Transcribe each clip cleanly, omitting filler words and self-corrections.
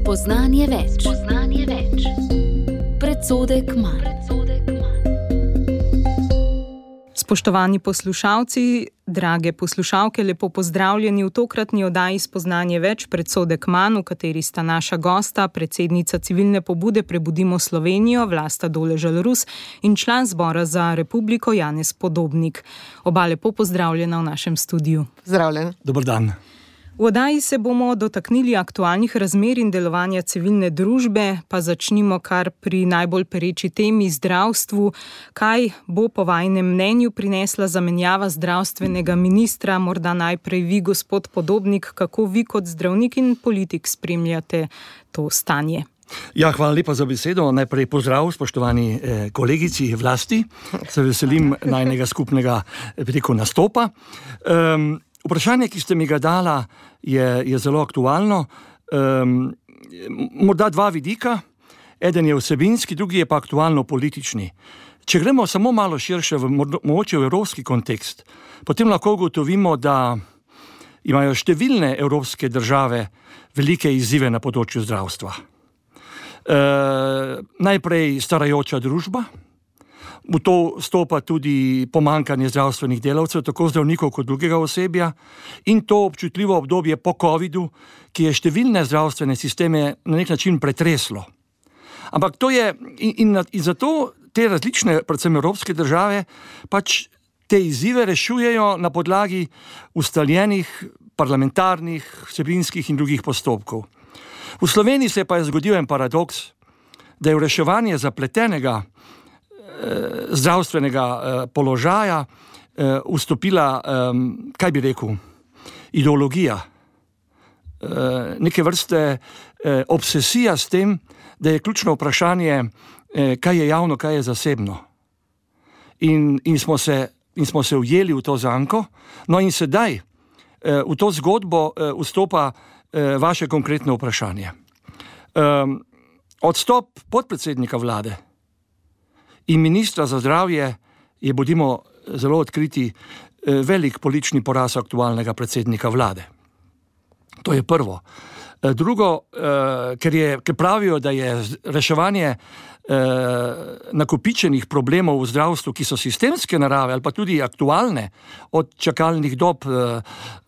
Spoznanje več. Predsodek manj. Spoštovani poslušalci, drage poslušalke, lepo pozdravljeni v tokratni oddaji Spoznanje več, predsodek manj, v kateri sta naša gosta, predsednica civilne pobude Prebudimo Slovenijo, Vlasta Doležal-Rus in član Zbora za republiko Janez Podobnik. Oba lepo pozdravljena v našem studiu. Zdravljen. Dober dan. V oddaji se bomo dotaknili aktualnih razmer in delovanja civilne družbe, pa začnimo kar pri najbolj pereči temi zdravstvu. Kaj bo po vajinem mnenju prinesla zamenjava zdravstvenega ministra? Morda najprej vi, gospod Podobnik, kako vi kot zdravnik in politik spremljate to stanje? Ja, hvala lepa za besedo. Najprej pozdrav, spoštovani kolegici Vlasti. Se veselim najnega skupnega nastopa. Vprašanje, ki ste mi ga dala, je zelo aktualno. Morda dva vidika. Eden je vsebinski, drugi je pa aktualno-politični. Če gremo samo malo širše, mogoče v evropski kontekst, potem lahko ugotovimo, da imajo številne evropske države velike izzive na področju zdravstva. Najprej starajoča družba. V to stopa tudi pomanjkanje zdravstvenih delavcev, tako zdravnikov kot drugega osebja, in to občutljivo obdobje po covidu, ki je številne zdravstvene sisteme na nek način pretreslo. Ampak to je, in zato te različne, predvsem evropske države, pač te izzive rešujejo na podlagi ustaljenih parlamentarnih, vsebinskih in drugih postopkov. V Sloveniji se pa je zgodil en paradoks, da je v reševanje zapletenega zdravstvenega položaja vstopila, kaj bi rekel, ideologija. Neke vrste obsesija s tem, da je ključno vprašanje, kaj je javno, kaj je zasebno. In smo se ujeli v to zanko. No in sedaj v to zgodbo vstopa vaše konkretno vprašanje. Odstop podpredsednika vlade in ministra za zdravje je, bodimo zelo odkriti, velik politični poraz aktualnega predsednika vlade. To je prvo. Drugo, ker pravijo, da je reševanje nakopičenih problemov v zdravstvu, ki so sistemske narave ali pa tudi aktualne, od čakalnih dob,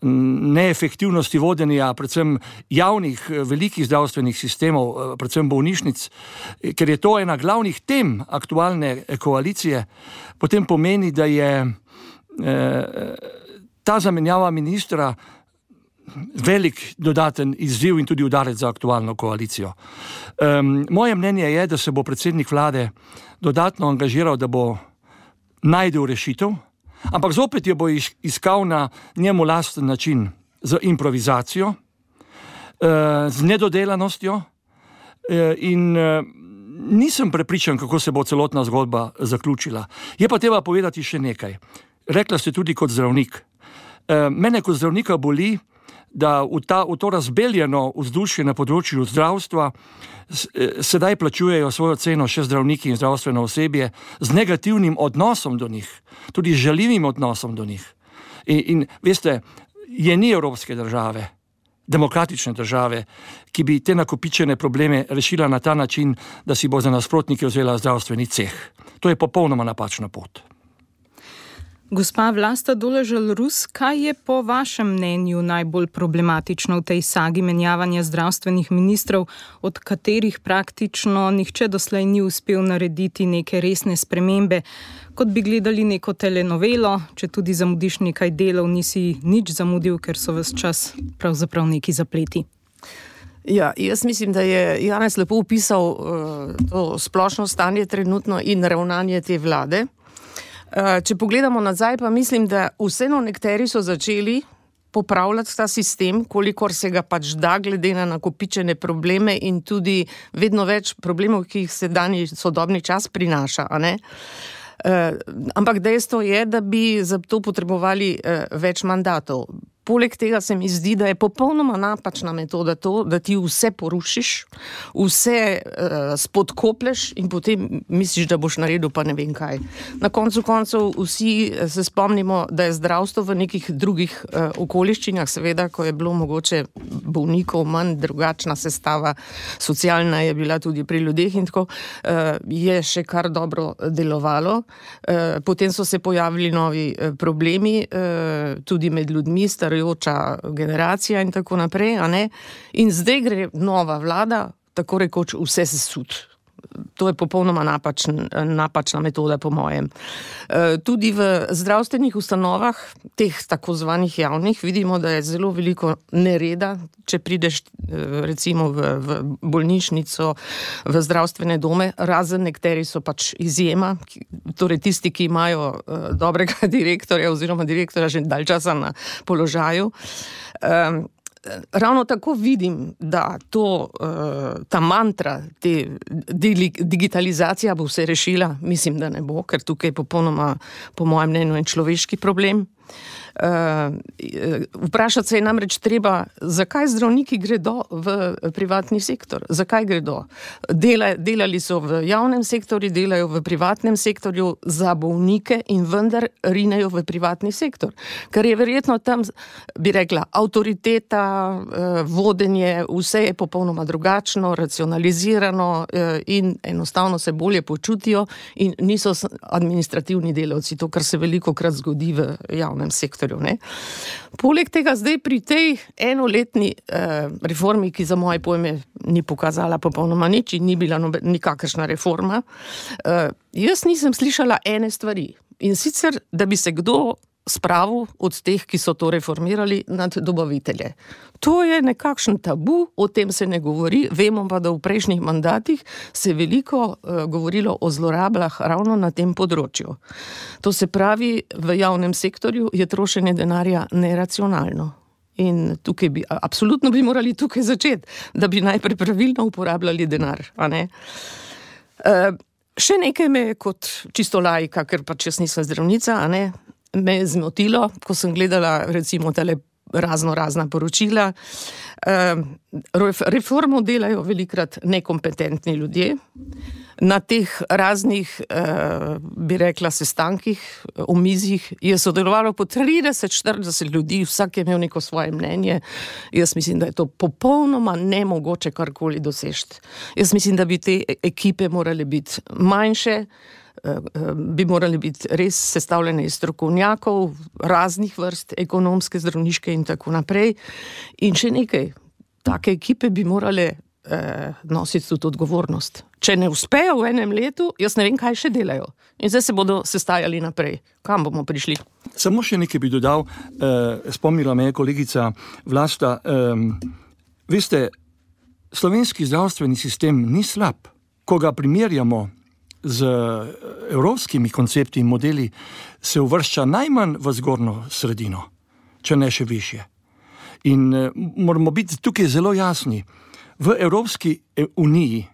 neefektivnosti vodenja, predvsem javnih velikih zdravstvenih sistemov, predvsem bolnišnic, ker je to ena glavnih tem aktualne koalicije, potem pomeni, da je ta zamenjava ministra velik dodaten izziv in tudi udarec za aktualno koalicijo. Moje mnenje je, da se bo predsednik vlade dodatno angažiral, da bo najdel rešitev, ampak zopet jo bo iskal na njemu lasten način, z improvizacijo, z nedodelanostjo in nisem prepričan, kako se bo celotna zgodba zaključila. Je pa treba povedati še nekaj. Rekla ste tudi kot zdravnik. Mene kot zdravnika boli, da v to razbeljeno vzdušje na področju zdravstva sedaj plačujejo svojo ceno še zdravniki in zdravstveno osebje z negativnim odnosom do njih, tudi žaljivim odnosom do njih. In veste, ni evropske države, demokratične države, ki bi te nakopičene probleme rešila na ta način, da si bo za nasprotnike vzela zdravstveni ceh. To je popolnoma napačna pot. Gospa Vlasta Doležal-Rus, kaj je po vašem mnenju najbolj problematično v tej sagi menjavanja zdravstvenih ministrov, od katerih praktično nihče doslej ni uspel narediti neke resne spremembe? Kot bi gledali neko telenovelo, če tudi zamudiš nekaj delov, nisi nič zamudil, ker so ves čas pravzaprav neki zapleti. Ja, jaz mislim, da je Janez lepo opisal to splošno stanje trenutno in ravnanje te vlade. Če pogledamo nazaj, pa mislim, da vseeno nekateri so začeli popravljati ta sistem, kolikor se ga pač da, glede na nakopičene probleme in tudi vedno več problemov, ki jih sedanji sodobni čas prinaša, a ne? Ampak dejstvo je, da bi za to potrebovali več mandatov. Poleg tega se mi zdi, da je popolnoma napačna metoda to, da ti vse porušiš, vse spodkoplješ in potem misliš, da boš naredil pa ne vem kaj. Na koncu koncev vsi se spomnimo, da je zdravstvo v nekih drugih okoliščinah, seveda, ko je bilo mogoče bolnikov manj, drugačna sestava, socialna je bila tudi pri ljudeh in tako, je še kar dobro delovalo. Potem so se pojavili novi problemi, tudi med ljudmi, starajoča generacija in tako naprej, a ne? In zdaj gre nova vlada, tako rekoč vse sesut. To je popolnoma napačna metoda, po mojem. Tudi v zdravstvenih ustanovah, teh tako zvanih javnih, vidimo, da je zelo veliko nereda, če prideš recimo v bolnišnico, v zdravstvene dome, razen nekateri so pač izjema, torej tisti, ki imajo dobrega direktorja oziroma direktorja že dalj časa na položaju. Ravno tako vidim, da ta mantra, digitalizacija bo vse rešila, mislim, da ne bo, ker tukaj je popolnoma, po mojem mnenju, en človeški problem. Vprašati se je namreč treba, zakaj zdravniki gredo v privatni sektor, zakaj gredo. Delali so v javnem sektorju, delajo v privatnem sektorju za bolnike in vendar rinejo v privatni sektor. Ker je verjetno tam, bi rekla, avtoriteta, vodenje, vse je popolnoma drugačno, racionalizirano in enostavno se bolje počutijo in niso administrativni delavci, to, kar se velikokrat zgodi v javnem sektorju. Ne? Poleg tega zdaj pri tej enoletni reformi, ki za moje pojme ni pokazala popolnoma nič in ni bila nikakršna reforma, jaz nisem slišala ene stvari. In sicer, da bi se kdo spravil od teh, ki so to reformirali, nad dobavitelje. To je nekakšen tabu, o tem se ne govori, vemo pa, da v prejšnjih mandatih se je veliko govorilo o zlorabljah ravno na tem področju. To se pravi, v javnem sektorju je trošenje denarja neracionalno. In tukaj absolutno bi morali tukaj začeti, da bi najprej pravilno uporabljali denar, a ne? Še nekaj me kot čisto laika, ker pač jaz nisem zdravnica, a ne, me je zmotilo, ko sem gledala recimo tale razna poročila. Reformo delajo velikrat nekompetentni ljudje. Na teh raznih, bi rekla, sestankih, omizjih je sodelovalo po 30-40 ljudi, vsak je imel neko svoje mnenje. Jaz mislim, da je to popolnoma nemogoče karkoli doseči. Jaz mislim, da bi te ekipe morale biti manjše, bi morali biti res sestavljene iz strokovnjakov, raznih vrst, ekonomske, zdravniške in tako naprej. In še nekaj, take ekipe bi morale nositi tudi odgovornost. Če ne uspejo v enem letu, jaz ne vem, kaj še delajo. In zdaj se bodo sestajali naprej. Kam bomo prišli? Samo še nekaj bi dodal, spomnila me je kolegica Vlasta. Veste, slovenski zdravstveni sistem ni slab. Ko ga primerjamo z evropskimi koncepti in modeli, se uvršča najmanj v zgornjo sredino, če ne še višje. In moramo biti tukaj zelo jasni. V Evropski uniji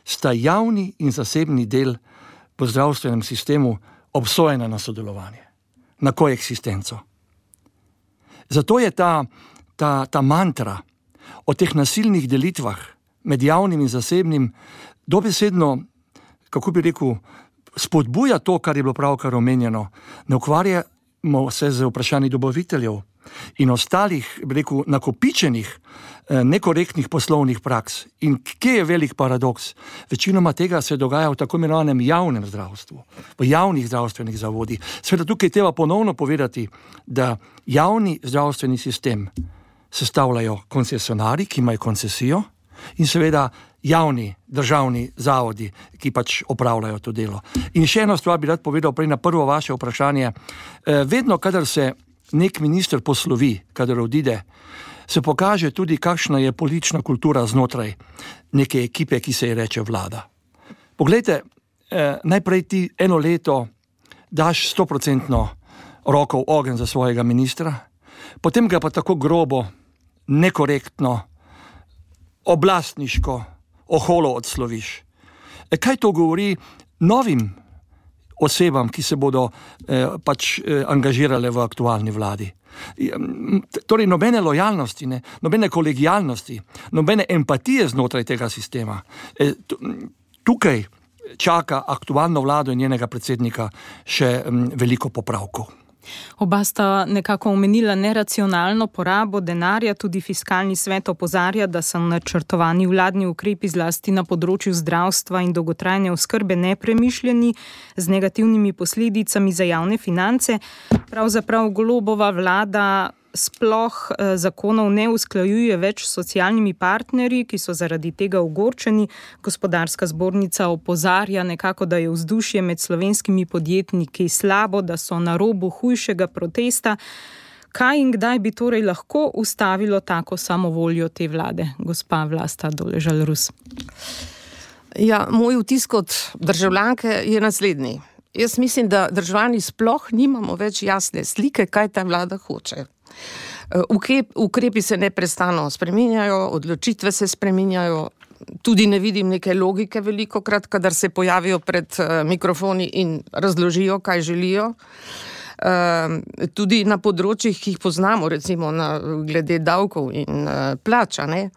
sta javni in zasebni del v zdravstvenem sistemu obsojena na sodelovanje, na koeksistenco. Zato je ta mantra o teh nasilnih delitvah med javnim in zasebnim dobesedno, kako bi rekel, spodbuja to, kar je bilo pravkar omenjeno. Ne ukvarjamo se z vprašanji dobaviteljev in ostalih, bi rekel, nakopičenih, nekorektnih poslovnih praks. In kje je velik paradoks? Večinoma tega se dogaja v tako imenovanem javnem zdravstvu, v javnih zdravstvenih zavodih. Seveda tukaj treba ponovno povedati, da javni zdravstveni sistem sestavljajo koncesionarji, ki imajo koncesijo, in seveda javni državni zavodi, ki pač opravljajo to delo. In še eno stvar bi rad povedal prej na prvo vaše vprašanje. Vedno, kadar se nek minister poslovi, kadar odide, se pokaže tudi, kakšna je politična kultura znotraj neke ekipe, ki se ji reče vlada. Poglejte, najprej ti eno leto daš 100% roko v ogenj za svojega ministra, potem ga pa tako grobo, nekorektno, oblastniško, oholo odsloviš. Kaj to govori novim osebam, ki se bodo pač angažirale v aktualni vladi? Torej, nobene lojalnosti, nobene kolegijalnosti, nobene empatije znotraj tega sistema. Tukaj čaka aktualno vlado in njenega predsednika še veliko popravkov. Oba sta nekako omenila neracionalno porabo denarja, tudi Fiskalni svet opozarja, da so načrtovani vladni ukrepi zlasti na področju zdravstva in dolgotrajne oskrbe nepremišljeni z negativnimi posledicami za javne finance. Pravzaprav Golobova vlada sploh zakonov ne usklajuje več s socialnimi partnerji, ki so zaradi tega ogorčeni. Gospodarska zbornica opozarja nekako, da je vzdušje med slovenskimi podjetniki slabo, da so na robu hujšega protesta. Kaj in kdaj bi torej lahko ustavilo tako samovoljo te vlade, gospa Vlasta Doležal Rus? Ja, moj vtis kot državljanke je naslednji. Jaz mislim, da državljani sploh nimamo več jasne slike, kaj ta vlada hoče. Ukrepi se neprestano spreminjajo, odločitve se spreminjajo, tudi ne vidim neke logike velikokrat, kadar se pojavijo pred mikrofoni in razložijo, kaj želijo. Tudi na področjih, ki jih poznamo, recimo glede davkov in plača, ne.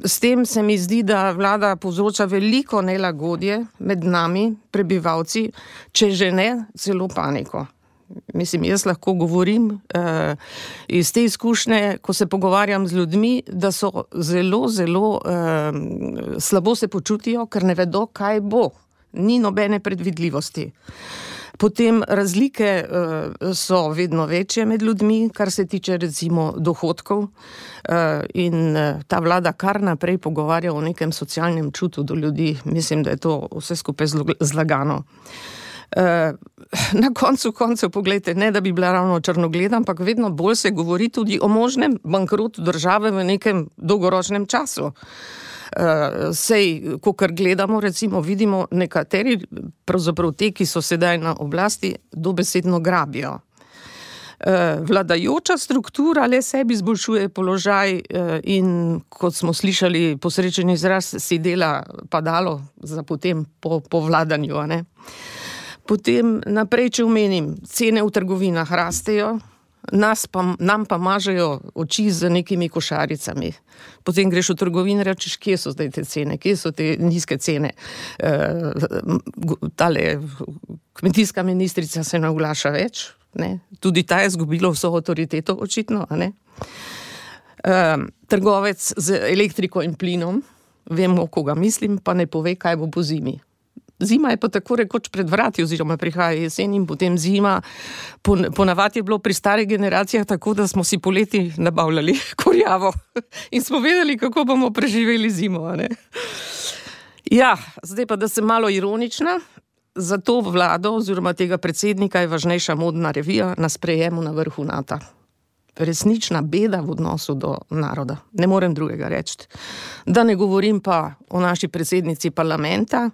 S tem se mi zdi, da vlada povzroča veliko nelagodje med nami, prebivalci, če že ne celo paniko. Mislim, jaz lahko govorim iz te izkušnje, ko se pogovarjam z ljudmi, da so zelo slabo se počutijo, ker ne vedo, kaj bo. Ni nobene predvidljivosti. Potem razlike so vedno večje med ljudmi, kar se tiče recimo dohodkov, in ta vlada kar naprej pogovarja o nekem socialnem čutu do ljudi. Mislim, da je to vse skupaj zlagano. Na koncu koncev, poglejte, ne da bi bila ravno črnogleda, ampak vedno bolj se govori tudi o možnem bankrotu države v nekem dolgoročnem času. Sej, kakor gledamo, recimo, vidimo nekateri, pravzaprav te, ki so sedaj na oblasti, dobesedno grabijo. Vladajoča struktura le sebi izboljšuje položaj in, kot smo slišali, posrečen izraz, si dela padalo za potem po vladanju, a ne. Potem naprej, če omenim, cene v trgovinah rastejo, nam pa mažejo oči z nekimi košaricami. Potem greš v trgovino in rečeš, kje so zdaj te cene, kje so te nizke cene. Tale kmetijska ministrica se ne oglaša več, ne? Tudi ta je izgubila vso avtoriteto, očitno, a ne? Trgovec z elektriko in plinom, vemo, koga mislim, pa ne pove, kaj bo po zimi. Zima je pa tako rekoč pred vrati, oziroma prihaja jesen in potem zima. Ponavadi je bilo pri starih generacijah tako, da smo si poleti nabavljali kurjavo in smo vedeli, kako bomo preživeli zimo, a ne? Ja, zdaj pa, da sem malo ironična, za to vlado oziroma tega predsednika je važnejša modna revija na sprejemu na vrhu NATO. Resnična beda v odnosu do naroda. Ne morem drugega reči. Da ne govorim pa o naši predsednici parlamenta,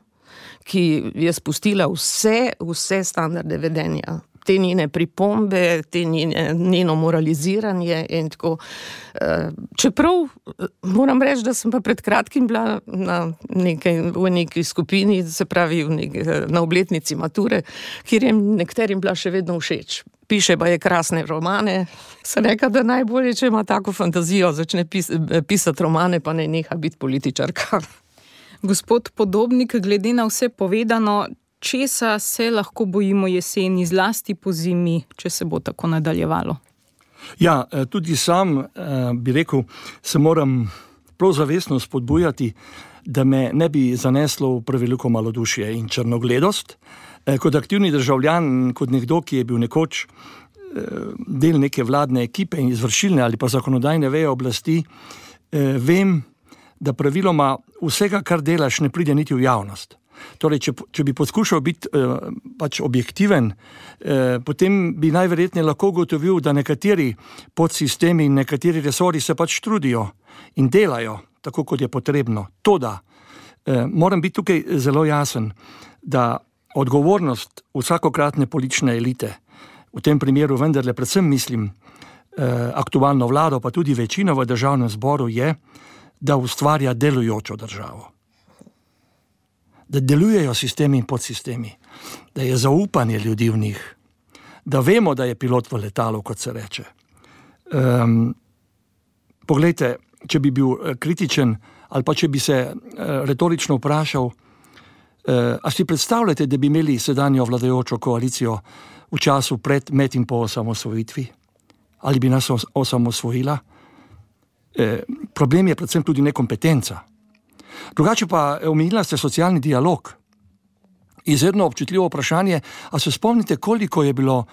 ki je spustila vse standarde vedenja. Te njene pripombe, njeno moraliziranje in tako. Čeprav moram reči, da sem pa pred kratkim bila v neki skupini, se pravi na obletnici mature, kjer je nekaterim bila še vedno všeč. Piše pa je krasne romane. Sem rekla, da najbolje, če ima tako fantazijo, začne pisati romane, pa ne neha biti političarka. Gospod Podobnik, glede na vse povedano, česa se lahko bojimo jeseni, zlasti po zimi, če se bo tako nadaljevalo? Ja, tudi sam bi rekel, se moram prav zavestno spodbujati, da me ne bi zaneslo v preveliko malodušje in črnogledost. Kot aktivni državljan, kot nekdo, ki je bil nekoč del neke vladne ekipe in izvršilne ali pa zakonodajne veje oblasti, vem, da praviloma vsega, kar delaš, ne pride niti v javnost. Torej, če bi poskušal biti pač objektiven, potem bi najverjetneje lahko ugotovil, da nekateri podsistemi in nekateri resori se pač trudijo in delajo tako, kot je potrebno. Toda, moram biti tukaj zelo jasen, da odgovornost vsakokratne politične elite, v tem primeru vendarle predvsem mislim aktualno vlado, pa tudi večino v državnem zboru je, da ustvarja delujočo državo. Da delujejo sistemi in podsistemi, da je zaupanje ljudi v njih, da vemo, da je pilot v letalu, kot se reče. Poglejte, če bi bil kritičen ali pa če bi se retorično vprašal, a si predstavljate, da bi imeli sedanjo vladajočo koalicijo v času pred, med in po osamosvojitvi? Ali bi nas osamosvojila? Problem je predvsem tudi nekompetenca. Drugače pa omenila ste socialni dialog. Izredno občutljivo vprašanje, a se spomnite, koliko je bilo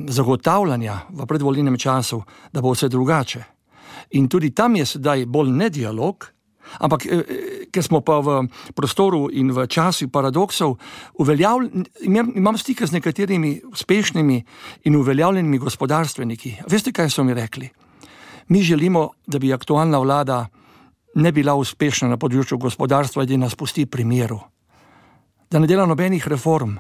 zagotavljanja v predvolilnem času, da bo vse drugače. In tudi tam je sedaj bolj ne dialog, ampak ker smo pa v prostoru in v času paradoksov, imam stike z nekaterimi uspešnimi in uveljavljenimi gospodarstveniki. Veste, kaj so mi rekli? Mi želimo, da bi aktualna vlada ne bila uspešna na področju gospodarstva, da nas pusti pri miru. Da ne dela nobenih reform.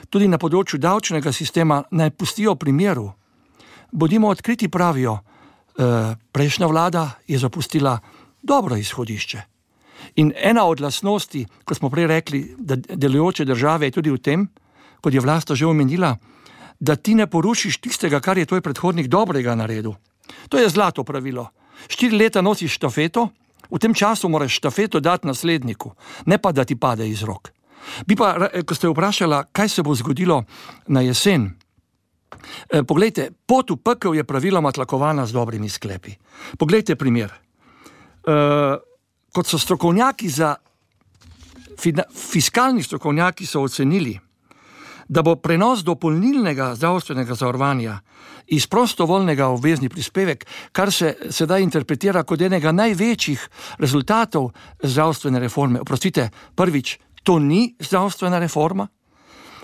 Tudi na področju davčnega sistema naj pustijo pri miru. Bodimo odkriti, pravijo, prejšnja vlada je zapustila dobro izhodišče. In ena od lastnosti, ko smo prej rekli, da delujoče države je tudi v tem, kot je Vlasta že omenila, da ti ne porušiš tistega, kar je tvoj predhodnik dobrega naredil. To je zlato pravilo. 4 leta nosiš štafeto, v tem času moraš štafeto dati nasledniku, ne pa da ti pade iz rok. Bi pa, ko ste vprašala, kaj se bo zgodilo na jesen, poglejte, pot v pekel je praviloma tlakovana z dobrimi sklepi. Poglejte primer. Kot so strokovnjaki fiskalni strokovnjaki so ocenili, da bo prenos dopolnilnega zdravstvenega zavarovanja iz prostovoljnega v obvezni prispevek, kar se sedaj interpretira kot enega največjih rezultatov zdravstvene reforme. Oprostite, prvič, to ni zdravstvena reforma,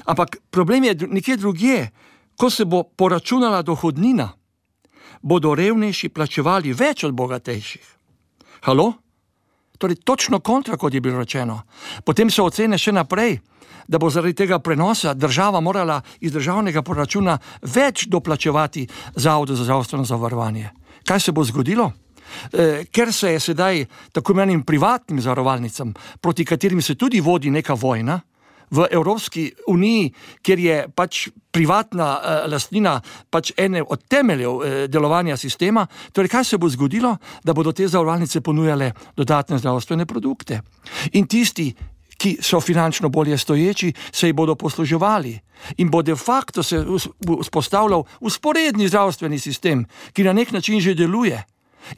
ampak problem je nekje drugje. Ko se bo poračunala dohodnina, bodo revnejši plačevali več od bogatejših. Halo? Torej, točno kontra, kot je bilo rečeno. Potem so ocene še naprej, da bo zaradi tega prenosa država morala iz državnega proračuna več doplačevati Zavodu za zdravstveno zavarovanje. Kaj se bo zgodilo? Ker se je sedaj tako imenovanim privatnim zavarovalnicam, proti katerim se tudi vodi neka vojna, v Evropski uniji, kjer je pač privatna lastnina pač ene od temeljev delovanja sistema, torej kaj se bo zgodilo, da bodo te zavarovalnice ponujale dodatne zdravstvene produkte. In tisti, ki so finančno bolje stoječi, se jih bodo posluževali in bo de facto se vzpostavljal usporedni zdravstveni sistem, ki na nek način že deluje.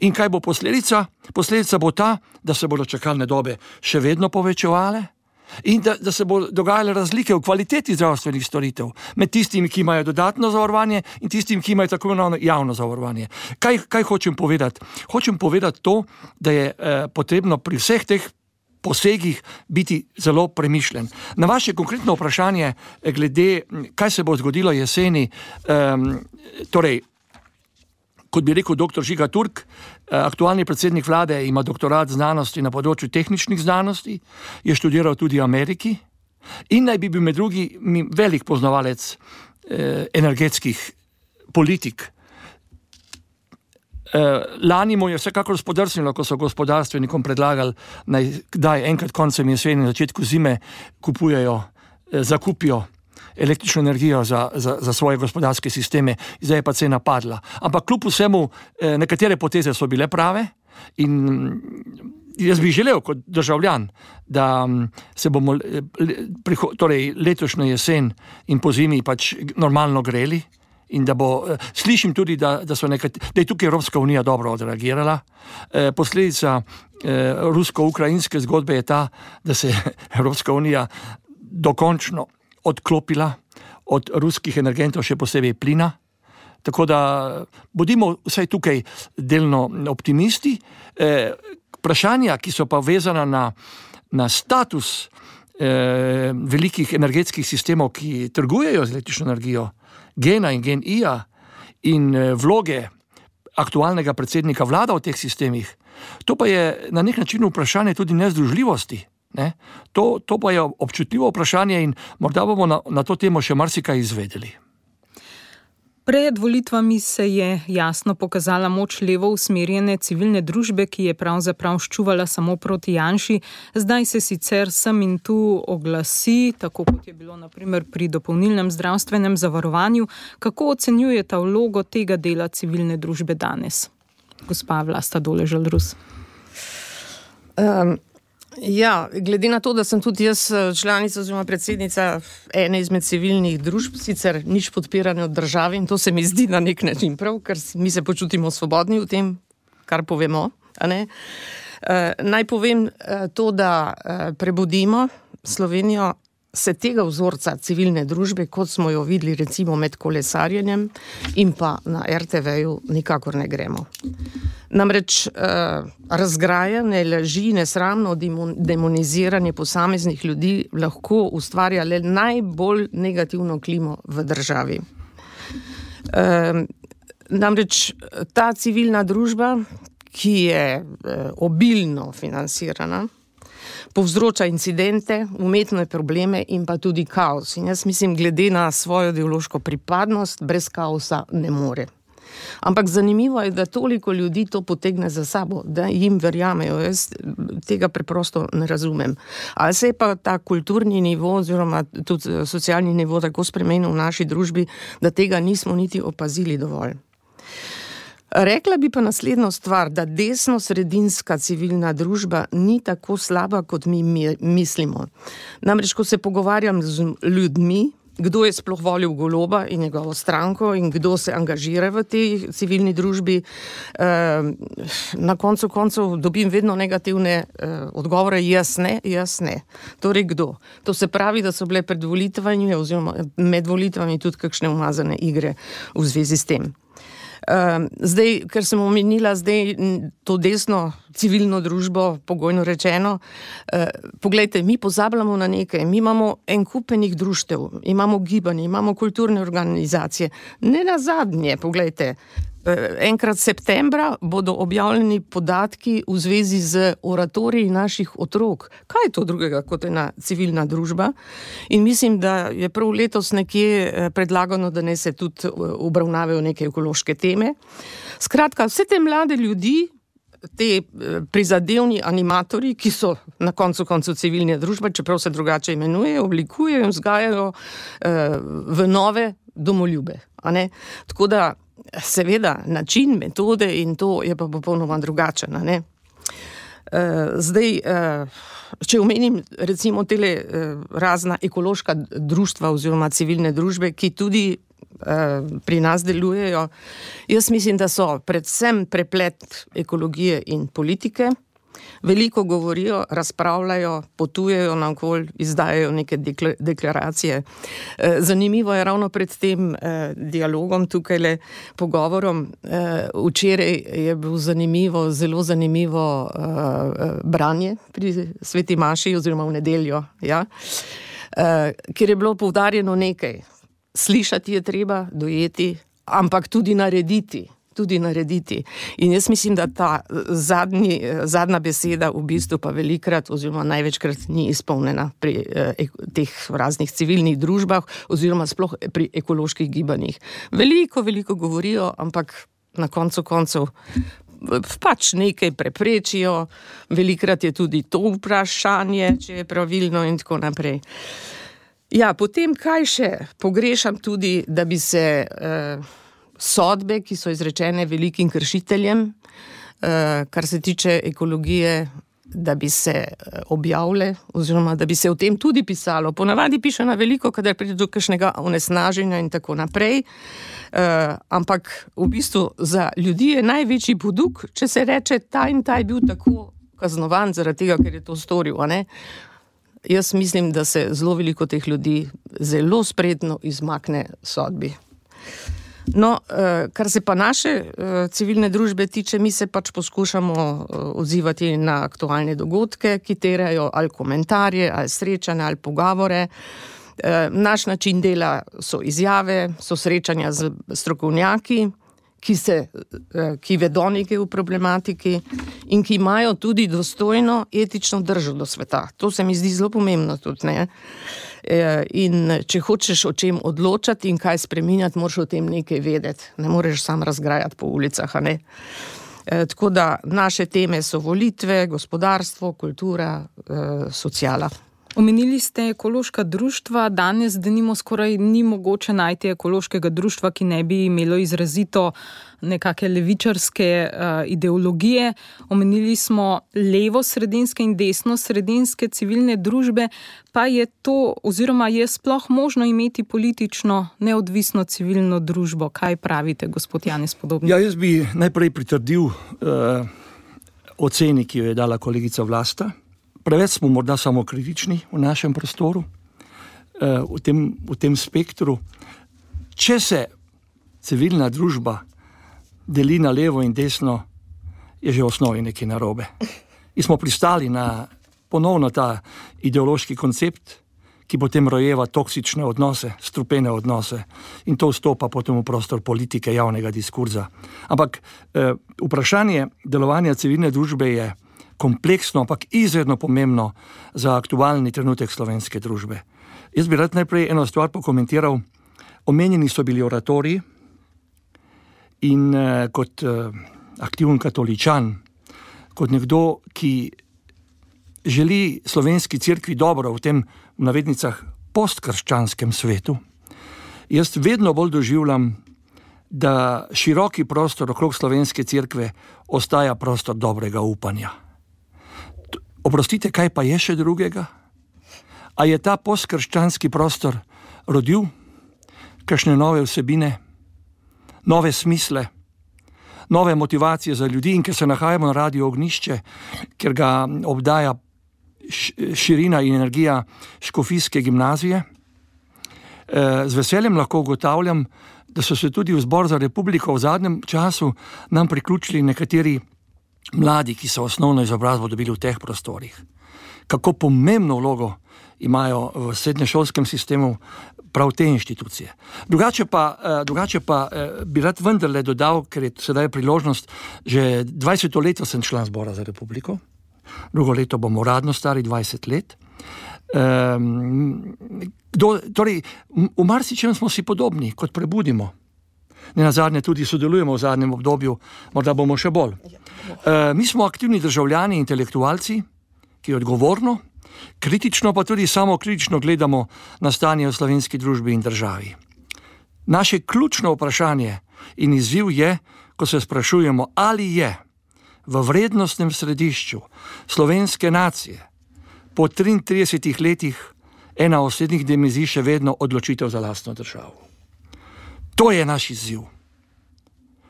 In kaj bo posledica? Posledica bo ta, da se bodo čakalne dobe še vedno povečevale in da se bo dogajale razlike v kvaliteti zdravstvenih storitev med tistimi, ki imajo dodatno zavarovanje in tistimi, ki imajo tako imenovano javno zavarovanje. Kaj hočem povedati? Hočem povedati to, da je potrebno pri vseh teh posegih biti zelo premišljen. Na vaše konkretno vprašanje glede, kaj se bo zgodilo jeseni, torej, kot bi rekel dr. Žiga Turk, aktualni predsednik vlade ima doktorat znanosti na področju tehničnih znanosti, je študiral tudi v Ameriki in naj bi bil med drugim velik poznavalec energetskih politik. Lani mu je vsekakor spodrsnilo, ko so gospodarstvenikom predlagali, naj enkrat koncem jeseni, na začetku zime zakupijo električno energijo za svoje gospodarske sisteme, zdaj je pa cena padla. Ampak kljub vsemu, nekatere poteze so bile prave in jaz bi želel kot državljan, da se bomo torej letošnjo jesen in po zimi pač normalno greli in da bo, slišim tudi, da je tukaj Evropska unija dobro odreagirala. Posledica rusko-ukrajinske zgodbe je ta, da se Evropska unija dokončno odklopila od ruskih energentov, še posebej plina. Tako da bodimo vsaj tukaj delno optimisti. Vprašanja, ki so pa vezana na status velikih energetskih sistemov, ki trgujejo z električno energijo, Gena in Gen-I-ja in vloge aktualnega predsednika vlada v teh sistemih, to pa je na nek način vprašanje tudi nezdružljivosti. Ne? To pa je občutljivo vprašanje in morda bomo na to temo še marsikaj izvedeli. Pred volitvami se je jasno pokazala moč levo usmerjene civilne družbe, ki je pravzaprav ščuvala samo proti Janši. Zdaj se sicer sem in tu oglasi, tako kot je bilo na primer pri dopolnilnem zdravstvenem zavarovanju. Kako ocenjujete vlogo tega dela civilne družbe danes? Gospa Vlasta Doležal-Rus. Ja, glede na to, da sem tudi jaz članica oziroma predsednica ene izmed civilnih družb, sicer nič podpirane od države, in to se mi zdi na nek način prav, ker mi se počutimo svobodni v tem, kar povemo. Naj povem to, da prebudimo Slovenijo, se tega vzorca civilne družbe, kot smo jo videli recimo med kolesarjenjem in pa na RTV-ju, nikakor ne gremo. Namreč razgrajanje, laži, nesramno demoniziranje posameznih ljudi lahko ustvarja le najbolj negativno klimo v državi. Namreč ta civilna družba, ki je obilno financirana, povzroča incidente, umetne probleme in pa tudi kaos. In jaz mislim, glede na svojo ideološko pripadnost, brez kaosa ne more. Ampak zanimivo je, da toliko ljudi to potegne za sabo, da jim verjamejo. Jaz tega preprosto ne razumem. Ali se je pa ta kulturni nivo oziroma tudi socialni nivo tako spremenil v naši družbi, da tega nismo niti opazili dovolj. Rekla bi pa naslednjo stvar, da desno-sredinska civilna družba ni tako slaba, kot mi mislimo. Namreč, ko se pogovarjam z ljudmi, kdo je sploh volil Goloba in njegovo stranko in kdo se angažira v tej civilni družbi, na koncu koncev dobim vedno negativne odgovore, jaz ne. Torej kdo? To se pravi, da so bile pred volitvami oziroma med volitvami tudi kakšne umazane igre v zvezi s tem. Zdaj, ker sem omenila to desno civilno družbo, pogojno rečeno, poglejte, mi pozabljamo na nekaj, mi imamo en kupenih društev, imamo gibanje, imamo kulturne organizacije. Ne nazadnje, poglejte, enkrat septembra bodo objavljeni podatki v zvezi z oratoriji naših otrok. Kaj je to drugega kot ena civilna družba? In mislim, da je prav letos nekje predlagano, da ne se tudi obravnavajo neke ekološke teme. Skratka, vse te mlade ljudi, te prizadevni animatorji, ki so na koncu civilne družbe, čeprav se drugače imenujejo, oblikujejo in vzgajajo v nove domoljube. Tako da seveda, način, metode in to je pa popolnoma drugačen. Zdaj, če omenim recimo tele razna ekološka društva oziroma civilne družbe, ki tudi pri nas delujejo, jaz mislim, da so predvsem preplet ekologije in politike. Veliko govorijo, razpravljajo, potujejo naokoli, izdajajo neke deklaracije. Zanimivo je ravno pred tem dialogom, tukajle pogovorom. Včeraj je bil zelo zanimivo branje pri Sveti Maši oziroma v nedeljo, ja, kjer je bilo poudarjeno nekaj. Slišati je treba, dojeti, ampak tudi narediti. In jaz mislim, da ta zadnja beseda v bistvu pa velikrat oziroma največkrat ni izpolnjena pri teh raznih civilnih družbah oziroma sploh pri ekoloških gibanjih. Veliko govorijo, ampak na koncu koncev pač nekaj preprečijo, velikrat je tudi to vprašanje, če je pravilno in tako naprej. Ja, potem kaj še? Pogrešam tudi, da bi se sodbe, ki so izrečene velikim kršiteljem, kar se tiče ekologije, da bi se objavile oziroma da bi se o tem tudi pisalo. Ponavadi piše na veliko, kadar pride do kakšnega onesnaženja in tako naprej, ampak v bistvu za ljudi je največji poduk, če se reče, ta in ta je bil tako kaznovan zaradi tega, ker je to storil, Jaz mislim, da se zelo veliko teh ljudi zelo spretno izmakne sodbi. No, kar se pa naše civilne družbe tiče, mi se pač poskušamo odzivati na aktualne dogodke, ki terjajo ali komentarje, ali srečanja, ali pogovore. Naš način dela so izjave, so srečanja z strokovnjaki, ki vedo nekaj v problematiki in ki imajo tudi dostojno etično držo do sveta. To se mi zdi zelo pomembno tudi, In če hočeš o čem odločati in kaj spreminjati, moraš o tem nekaj vedeti. Ne moreš sam razgrajati po ulicah, a ne? Tako da naše teme so volitve, gospodarstvo, kultura, sociala. Omenili ste ekološka društva, danes denimo skoraj ni mogoče najti ekološkega društva, ki ne bi imelo izrazito nekake levičarske ideologije. Omenili smo levo-sredinske in desno-sredinske civilne družbe, pa je to, oziroma je sploh možno imeti politično neodvisno civilno družbo. Kaj pravite, gospod Janez Podobnik? Ja, jaz bi najprej pritrdil oceni, ki jo je dala kolegica Vlasta. Preveč smo morda samo kritični v našem prostoru, v tem spektru. Če se civilna družba deli na levo in desno, je že v osnovi nekaj narobe. In smo pristali na ponovno ta ideološki koncept, ki potem rojeva toksične odnose, strupene odnose, in to vstopa potem v prostor politike, javnega diskurza. Ampak vprašanje delovanja civilne družbe je kompleksno, ampak izredno pomembno za aktualni trenutek slovenske družbe. Jaz bi rad najprej eno stvar pokomentiral. Omenjeni so bili oratoriji in kot aktiven katoličan, kot nekdo, ki želi slovenski cerkvi dobro v tem, v navednicah, postkrščanskem svetu, jaz vedno bolj doživljam, da široki prostor okrog slovenske cerkve ostaja prostor dobrega upanja. Oprostite, kaj pa je še drugega? A je ta postkrščanski prostor rodil kakšne nove vsebine, nove smisle, nove motivacije za ljudi, in ker se nahajamo na Radiu Ognjišče, ker ga obdaja širina in energija škofijske gimnazije, z veseljem lahko ugotavljam, da so se tudi v Zbor za republiko v zadnjem času nam priključili nekateri mladi, ki so osnovno izobrazbo dobili v teh prostorih. Kako pomembno vlogo imajo v srednješolskem sistemu prav te inštitucije. Drugače pa bi rad vendarle dodal, ker je sedaj priložnost, že 20. leto sem član Zbora za republiko, drugo leto bomo uradno stari 20 let. Torej, v marsičem smo si podobni, kot Prebudimo. Nenazadnje tudi sodelujemo v zadnjem obdobju, morda bomo še bolj. Mi smo aktivni državljani, intelektualci, ki odgovorno, kritično pa tudi samokritično gledamo na stanje v slovenski družbi in državi. Naše ključno vprašanje in izziv je, ko se sprašujemo, ali je v vrednostnem središču slovenske nacije po 33 letih ena osrednjih dimenzij še vedno odločitev za lastno državo. To je naš izziv.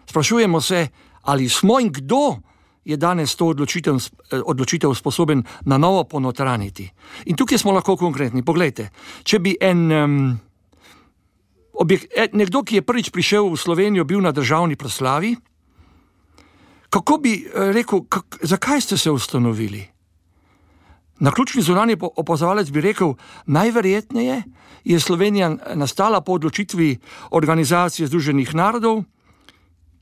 Sprašujemo se, ali smo in kdo je danes to odločitev sposoben na novo ponotraniti. In tukaj smo lahko konkretni. Poglejte, če bi nekdo, ki je prvič prišel v Slovenijo, bil na državni proslavi, kako bi rekel, zakaj ste se ustanovili? Naključni zunanji opazovalec bi rekel, najverjetneje je Slovenija nastala po odločitvi Organizacije Združenih narodov,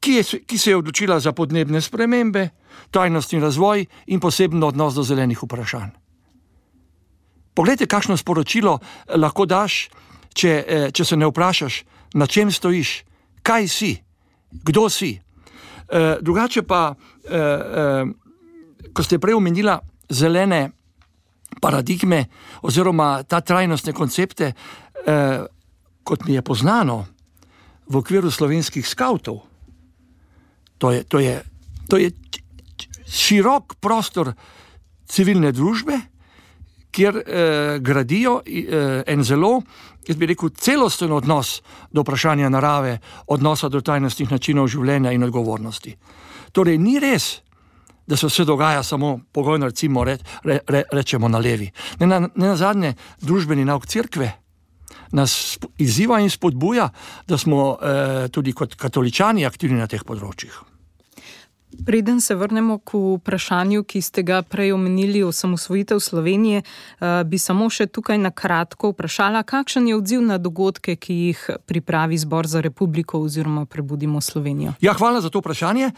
ki se je odločila za podnebne spremembe, trajnostni razvoj in poseben odnos do zelenih vprašanj. Poglejte, kakšno sporočilo lahko daš, če se ne vprašaš, na čem stojiš, kaj si, kdo si. Drugače pa, ko ste prej omenila zelene paradigme oziroma ta trajnostne koncepte, kot mi je poznano v okviru slovenskih skavtov, to je širok prostor civilne družbe, kjer gradijo en zelo, jaz bi rekel, celosten odnos do vprašanja narave, odnosa do trajnostnih načinov življenja in odgovornosti. Torej, ni res, da se vse dogaja samo pogojno, recimo rečemo na levi. Nenazadnje, družbeni nauk cerkve nas izziva in spodbuja, da smo tudi kot katoličani aktivni na teh področjih. Preden se vrnemo k vprašanju, ki ste ga prej omenili, osamosvojitev Slovenije, bi samo še tukaj na kratko vprašala, kakšen je odziv na dogodke, ki jih pripravi Zbor za republiko oziroma Prebudimo Slovenijo? Ja, hvala za to vprašanje.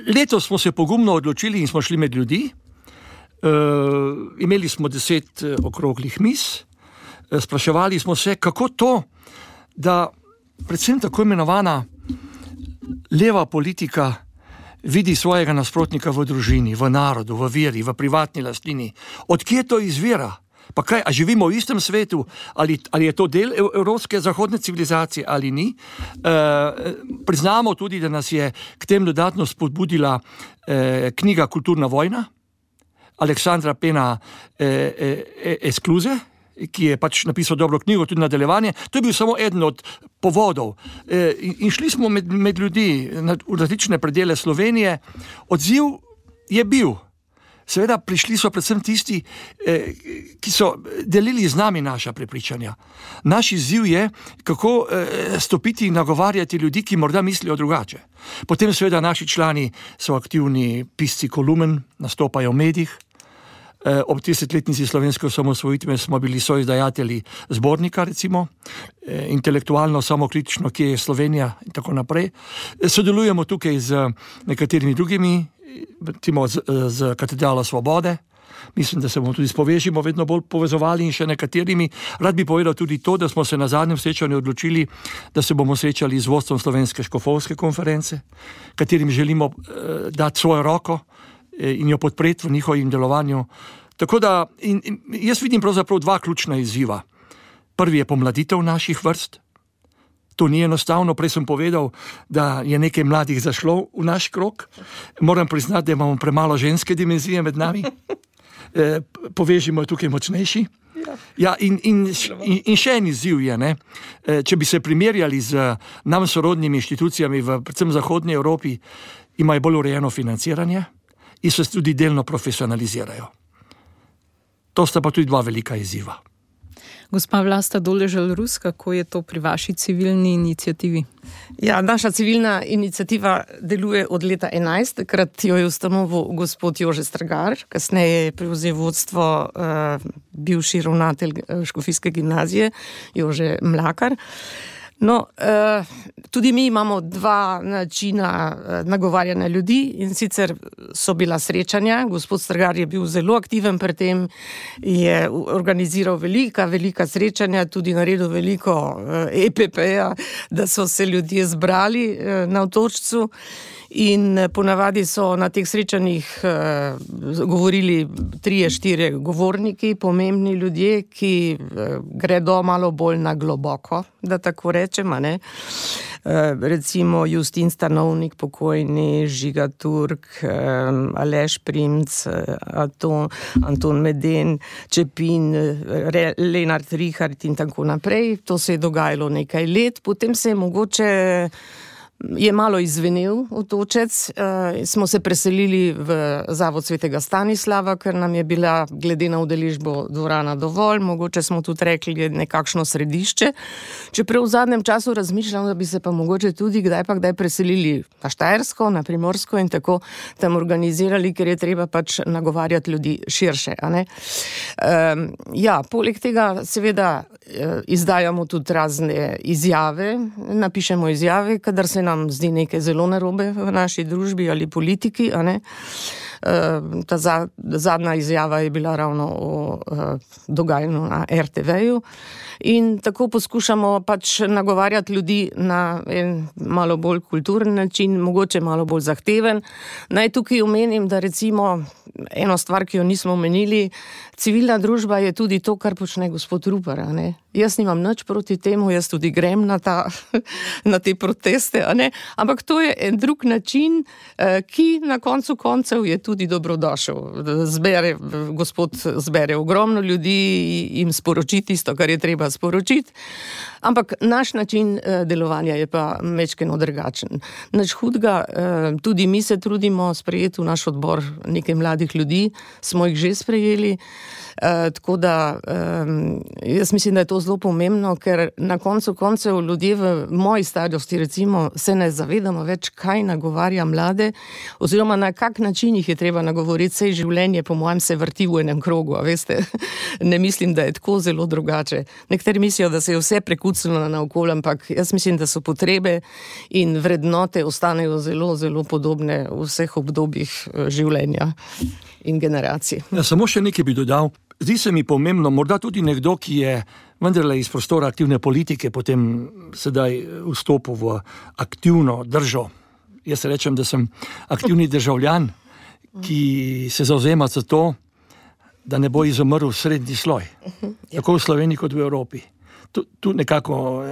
Letos smo se pogumno odločili in smo šli med ljudi. Imeli smo 10 okroglih miz, spraševali smo se, kako to, da predvsem tako imenovana leva politika vidi svojega nasprotnika v družini, v narodu, v veri, v privatni lastnini. Odkje to izvira? Pa kaj, a živimo v istem svetu? Ali je to del evropske zahodne civilizacije ali ni? Priznamo tudi, da nas je k tem dodatno spodbudila knjiga Kulturna vojna Aleksandra Pena Eskluze, ki je pač napisal dobro knjigo, tudi nadaljevanje. To je bil samo eden od povodov. In šli smo med ljudi v različne predele Slovenije. Odziv je bil. Seveda prišli so predvsem tisti, ki so delili z nami naša prepričanja. Naš izziv je, kako stopiti in nagovarjati ljudi, ki morda mislijo drugače. Potem seveda naši člani so aktivni pisci kolumen, nastopajo v medijih. Ob 30-letnici slovenske osamosvojitve smo bili soizdajatelji zbornika, recimo, intelektualno, samokritično, kje je Slovenija in tako naprej. Sodelujemo tukaj z nekaterimi drugimi, recimo z Katedralo Svobode. Mislim, da se bomo tudi s Povežimo vedno bolj povezovali in še nekaterimi. Rad bi povedal tudi to, da smo se na zadnjem srečanju odločili, da se bomo srečali z vodstvom Slovenske škofovske konference, katerim želimo dati svojo roko in jo podpreti v njihovem delovanju. Tako da jaz vidim pravzaprav 2 ključna izziva. Prvi je pomladitev naših vrst. To ni enostavno, prej sem povedal, da je nekaj mladih zašlo v naš krog. Moram priznati, da imamo premalo ženske dimenzije med nami. Povežimo je tukaj močnejši. Ja, in še en izziv je, ne? Če bi se primerjali z nam sorodnimi inštitucijami v predvsem zahodnji Evropi, imajo bolj urejeno financiranje in se tudi delno profesionalizirajo. To sta pa tudi 2 velika izziva. Gospa Vlasta Doležal-Rus, kako je to pri vaši civilni iniciativi? Ja, naša civilna iniciativa deluje od leta 2011, takrat jo je ustanovil gospod Jože Stragar, kasneje je prevzel vodstvo bivši ravnatelj Škofijske gimnazije Jože Mlakar. No, tudi mi imamo 2 načina nagovarjanja ljudi in sicer so bila srečanja. Gospod Stragar je bil zelo aktiven pri tem, je organiziral velika srečanja, tudi naredil veliko EPP-ja, da so se ljudje zbrali na Otočcu. In ponavadi so na teh srečanjih govorili 3-4 govorniki, pomembni ljudje, ki gredo malo bolj na globoko, da tako rečem, ne? Recimo Justin Stanovnik, pokojni, Žiga Turk, Aleš Primc, Anton Meden, Čepin, Lenart Richard in tako naprej. To se je dogajalo nekaj let, potem se je mogoče je malo izvenel Otočec, smo se preselili v Zavod Svetega Stanislava, ker nam je bila glede na udeležbo dvorana dovolj, mogoče smo tudi rekli nekakšno središče. Čeprav v zadnjem času razmišljam, da bi se pa mogoče tudi kdaj preselili na Štajersko, na Primorsko in tako tam organizirali, ker je treba pač nagovarjati ljudi širše, a ne? Ja, poleg tega seveda izdajamo tudi razne izjave, napišemo izjave, kadar se nam zdi nekaj zelo narobe v naši družbi ali politiki, a ne. Ta zadnja izjava je bila ravno o dogajanju na RTV-ju in tako poskušamo pač nagovarjati ljudi na en malo bolj kulturen način, mogoče malo bolj zahteven. Naj tukaj omenim, da recimo eno stvar, ki jo nismo omenili, civilna družba je tudi to, kar počne gospod Rupar, a ne. Jaz nimam nič proti temu, jaz tudi grem na te proteste, a ne, ampak to je en drug način, ki na koncu koncev je tudi dobrodošel. Gospod zbere ogromno ljudi, jim sporoči tisto, kar je treba sporočiti, ampak naš način delovanja je pa majčkeno drugačen. Nič hudega, tudi mi se trudimo sprejeti v naš odbor nekaj mladih ljudi, smo jih že sprejeli, tako da jaz mislim, da je to zelo pomembno, ker na koncu koncev ljudje v moji starosti recimo se ne zavedamo več, kaj nagovarja mlade, oziroma na kak način jih je treba nagovoriti. Sej življenje po mojem se vrti v enem krogu, a veste, ne mislim, da je tako zelo drugače. Nekateri mislijo, da se je vse prekucnilo naokoli, ampak jaz mislim, da so potrebe in vrednote ostanejo zelo, zelo podobne v vseh obdobjih življenja in generacij. Ja, samo še nekaj bi dodal. Zdi se mi pomembno, morda tudi nekdo, ki je vendarle iz prostora aktivne politike, potem sedaj vstopil v aktivno držo. Jaz rečem, da sem aktivni državljan, ki se zavzema za to, da ne bo izumrl srednji sloj. Tako v Sloveniji kot v Evropi. Tu nekako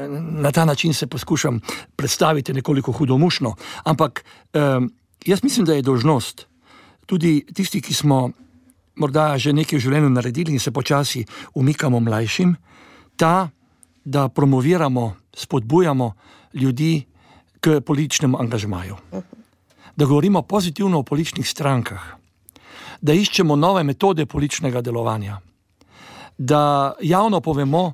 na ta način se poskušam predstaviti nekoliko hudomušno, ampak jaz mislim, da je dolžnost tudi tisti, ki smo morda že nekaj v življenju naredili in se počasi umikamo mlajšim, ta, da promoviramo, spodbujamo ljudi k političnemu angažmaju. Da govorimo pozitivno o političnih strankah, da iščemo nove metode političnega delovanja, da javno povemo,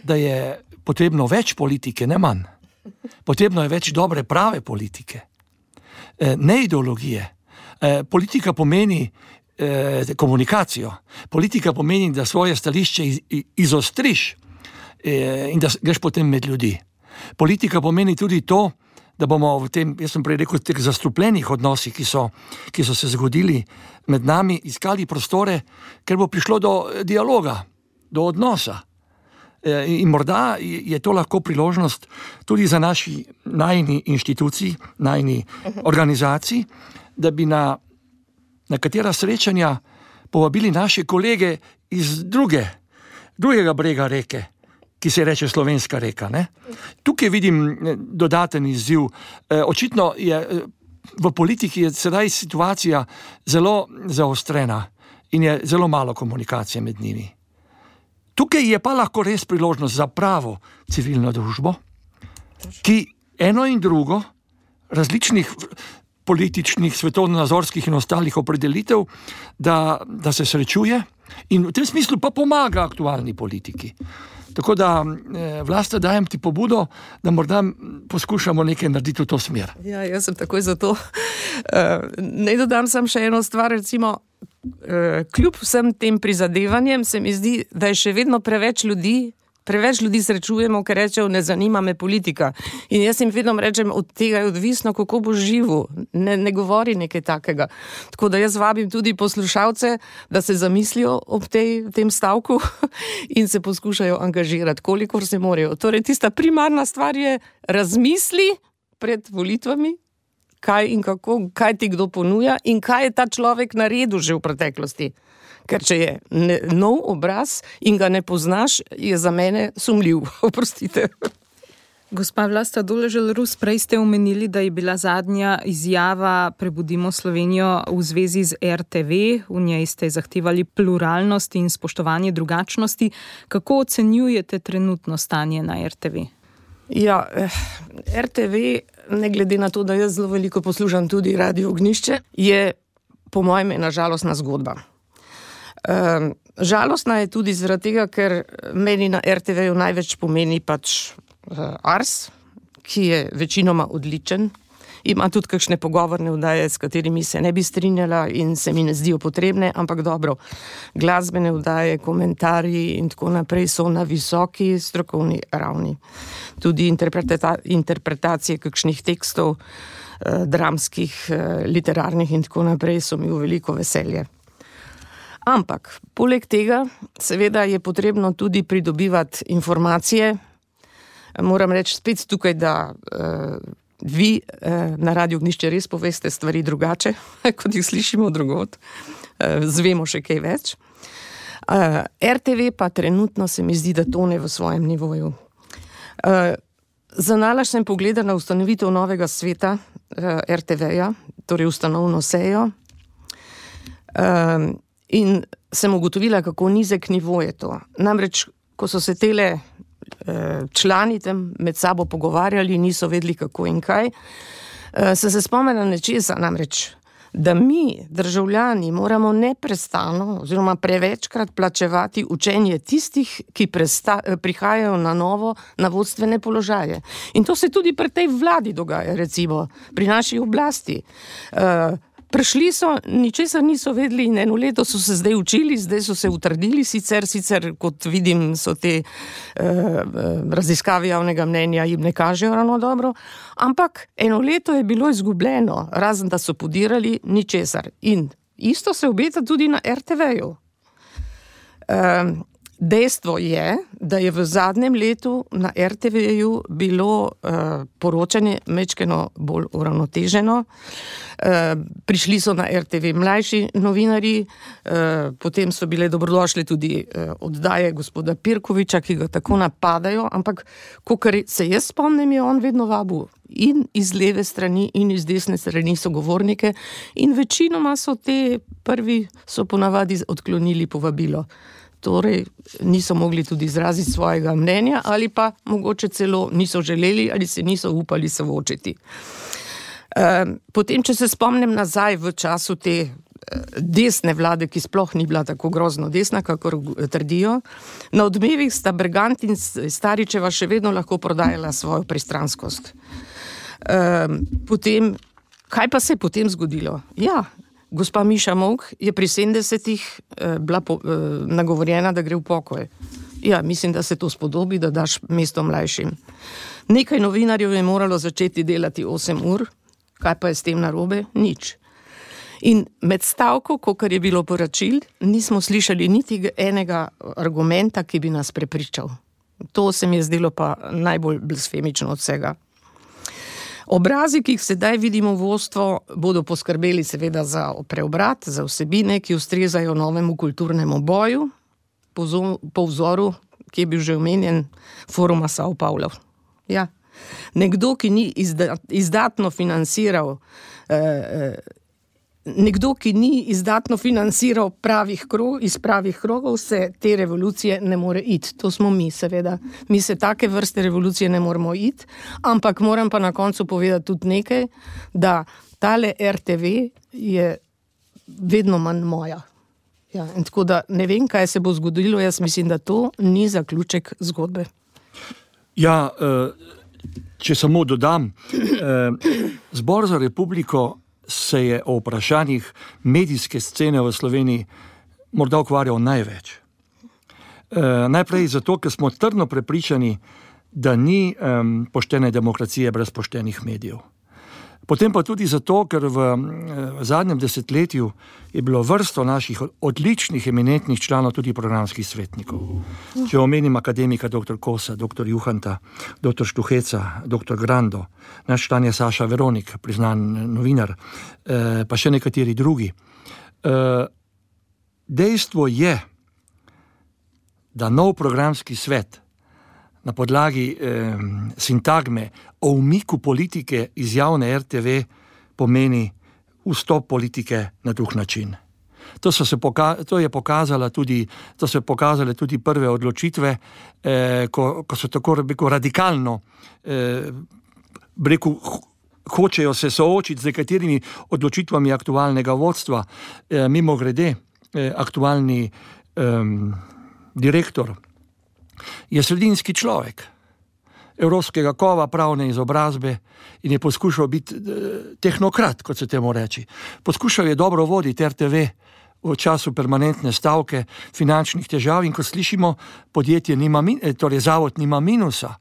da je potrebno več politike, ne manj. Potrebno je več dobre, prave politike, ne ideologije. Politika pomeni komunikacijo. Politika pomeni, da svoje stališče izostriš in da greš potem med ljudi. Politika pomeni tudi to, da bomo v tem, jaz sem prej rekel, teh zastrupljenih odnosih, ki so se zgodili med nami, iskali prostore, ker bo prišlo do dialoga, do odnosa. In morda je to lahko priložnost tudi za najini inštitucij, najini organizacij, da bi na katera srečanja povabili naše kolege iz drugega brega reke, ki se reče Slovenska reka. Ne? Tukaj vidim dodaten izziv. Očitno je v politiki je sedaj situacija zelo zaostrena in je zelo malo komunikacije med njimi. Tukaj je pa lahko res priložnost za pravo civilno družbo, ki eno in drugo različnih političnih, svetovnonazorskih in ostalih opredelitev, da se srečuje in v tem smislu pa pomaga aktualni politiki. Tako da, Vlasta, dajem ti pobudo, da morda poskušamo nekaj narediti v to smer. Ja, jaz sem takoj za to. Naj dodam sam še eno stvar, recimo, kljub vsem tem prizadevanjem se mi zdi, da je še vedno preveč ljudi srečujemo, ker rečejo, ne zanima me politika. In jaz jim vedno rečem, od tega je odvisno, kako bo živo. Ne govori nekaj takega. Tako da jaz vabim tudi poslušalce, da se zamislijo ob tem stavku in se poskušajo angažirati, kolikor se morajo. Torej, tista primarna stvar je razmisli pred volitvami, kaj in kako, kaj ti kdo ponuja in kaj je ta človek naredil že v preteklosti. Ker če je nov obraz in ga ne poznaš, je za mene sumljiv. Oprostite. Gospa Vlasta Doležal Rus, prej ste omenili, da je bila zadnja izjava Prebudimo Slovenijo v zvezi z RTV. V njej ste zahtevali pluralnost in spoštovanje drugačnosti. Kako ocenjujete trenutno stanje na RTV? Ja, RTV, ne glede na to, da jaz zelo veliko poslušam tudi Radio Ognjišče, je po mojem ena žalostna zgodba. Žalostna je tudi zaradi tega, ker meni na RTV-ju največ pomeni pač Ars, ki je večinoma odličen. Ima tudi kakšne pogovorne oddaje, s katerimi se ne bi strinjala in se mi ne zdijo potrebne, ampak dobro, glasbene oddaje, komentarji in tako naprej so na visoki strokovni ravni. Tudi interpretacije kakšnih tekstov, dramskih, literarnih in tako naprej so mi v veliko veselje. Ampak, poleg tega, seveda je potrebno tudi pridobivati informacije. Moram reči spet tukaj, da vi na Radio Ognjišče res poveste stvari drugače, kot jih slišimo drugod. Zvemo še kaj več. RTV pa trenutno se mi zdi, da tone v svojem nivoju. Zanalaš sem pogledala ustanovitev novega sveta RTV-ja, torej ustanovno sejo, in sem ugotovila, kako nizek nivo je to. Namreč, ko so se tele člani tam med sabo pogovarjali, niso vedeli kako in kaj, sem se spomnila nečesa, namreč da mi, državljani, moramo neprestano oziroma prevečkrat plačevati učenje tistih, ki prihajajo na novo na vodstvene položaje. In to se tudi pri tej vladi dogaja, recimo, pri naši oblasti. Prišli so, ničesar niso vedeli in 1 leto so se zdaj učili, zdaj so se utrdili, sicer kot vidim, so te raziskave javnega mnenja jim ne kažejo ravno dobro, ampak 1 leto je bilo izgubljeno, razen da so podirali ničesar. In isto se obeta tudi na RTV-ju. Dejstvo je, da je v zadnjem letu na RTV-ju bilo poročanje majčkeno bolj uravnoteženo. Prišli so na RTV mlajši novinarji, potem so bile dobrodošle tudi oddaje gospoda Pirkoviča, ki ga tako napadajo, ampak kakor se jaz spomnim, je on vedno vabil in iz leve strani in iz desne strani sogovornike in večinoma so te prvi so ponavadi odklonili povabilo. Torej niso mogli tudi izraziti svojega mnenja ali pa mogoče celo niso želeli ali se niso upali soočiti. Potem, če se spomnim nazaj v času te desne vlade, ki sploh ni bila tako grozno desna, kakor trdijo, na Odmevih sta Bergant in Staričeva še vedno lahko prodajala svojo pristranskost. Potem, kaj pa se je potem zgodilo? Ja, gospa Miša Molk je pri 70-ih bila nagovorjena, da gre v pokoj. Ja, mislim, da se to spodobi, da daš mesto mlajšim. Nekaj novinarjev je moralo začeti delati 8 ur, kaj pa je s tem narobe? Nič. In med stavko, kakor je bilo poročil, nismo slišali niti enega argumenta, ki bi nas prepričal. To se mi je zdelo pa najbolj blasfemično od vsega. Obrazi, ki jih sedaj vidimo v vodstvu, bodo poskrbeli seveda za preobrat, za vsebine, ki ustrezajo novemu kulturnemu boju, po vzoru, ki je bil že omenjen, Foruma Sao Paulo. Ja. Nekdo, ki ni izdatno financiral iz pravih krogov, se te revolucije ne more iti. To smo mi, seveda. Mi se take vrste revolucije ne moramo iti, ampak moram pa na koncu povedati tudi nekaj, da tale RTV je vedno manj moja. Ja, in tako da ne vem, kaj se bo zgodilo, jaz mislim, da to ni zaključek zgodbe. Ja, če samo dodam, Zbor za republiko se je o vprašanjih medijske scene v Sloveniji morda ukvarjal največ. Najprej zato, ker smo trdno prepričani, da ni poštene demokracije brez poštenih medijev. Potem pa tudi zato, ker v zadnjem desetletju je bilo vrsto naših odličnih, eminentnih članov tudi programskih svetnikov. Če omenim akademika dr. Kosa, dr. Juhanta, dr. Štuheca, dr. Grando, naš član je Saša Veronik, priznan novinar, pa še nekateri drugi. Dejstvo je, da nov programski svet na podlagi sintagme o umiku politike iz javne RTV pomeni vstop politike na drug način. To so se pokazale tudi prve odločitve, ko so tako radikalno hočejo se soočiti z nekaterimi odločitvami aktualnega vodstva. Mimogrede, aktualni direktor je sredinski človek, evropskega kova, pravne izobrazbe in je poskušal biti tehnokrat, kot se temu reči. Poskušal je dobro voditi RTV v času permanentne stavke, finančnih težav in ko slišimo, torej zavod nima minusa.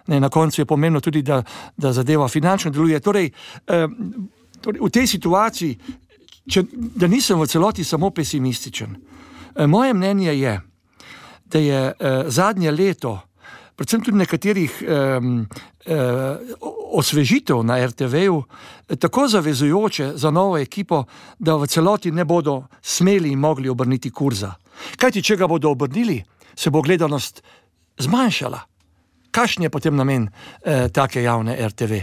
Na koncu je pomenilo tudi, da zadeva finančno deluje. Torej, v tej situaciji, da nisem v celoti samo pesimističen, moje mnenje je, da je zadnje leto, predvsem tudi nekaterih osvežitev na RTV-ju, tako zavezujoče za novo ekipo, da v celoti ne bodo smeli in mogli obrniti kurza. Kajti, če ga bodo obrnili, se bo gledanost zmanjšala. Kakšen je potem namen take javne RTV?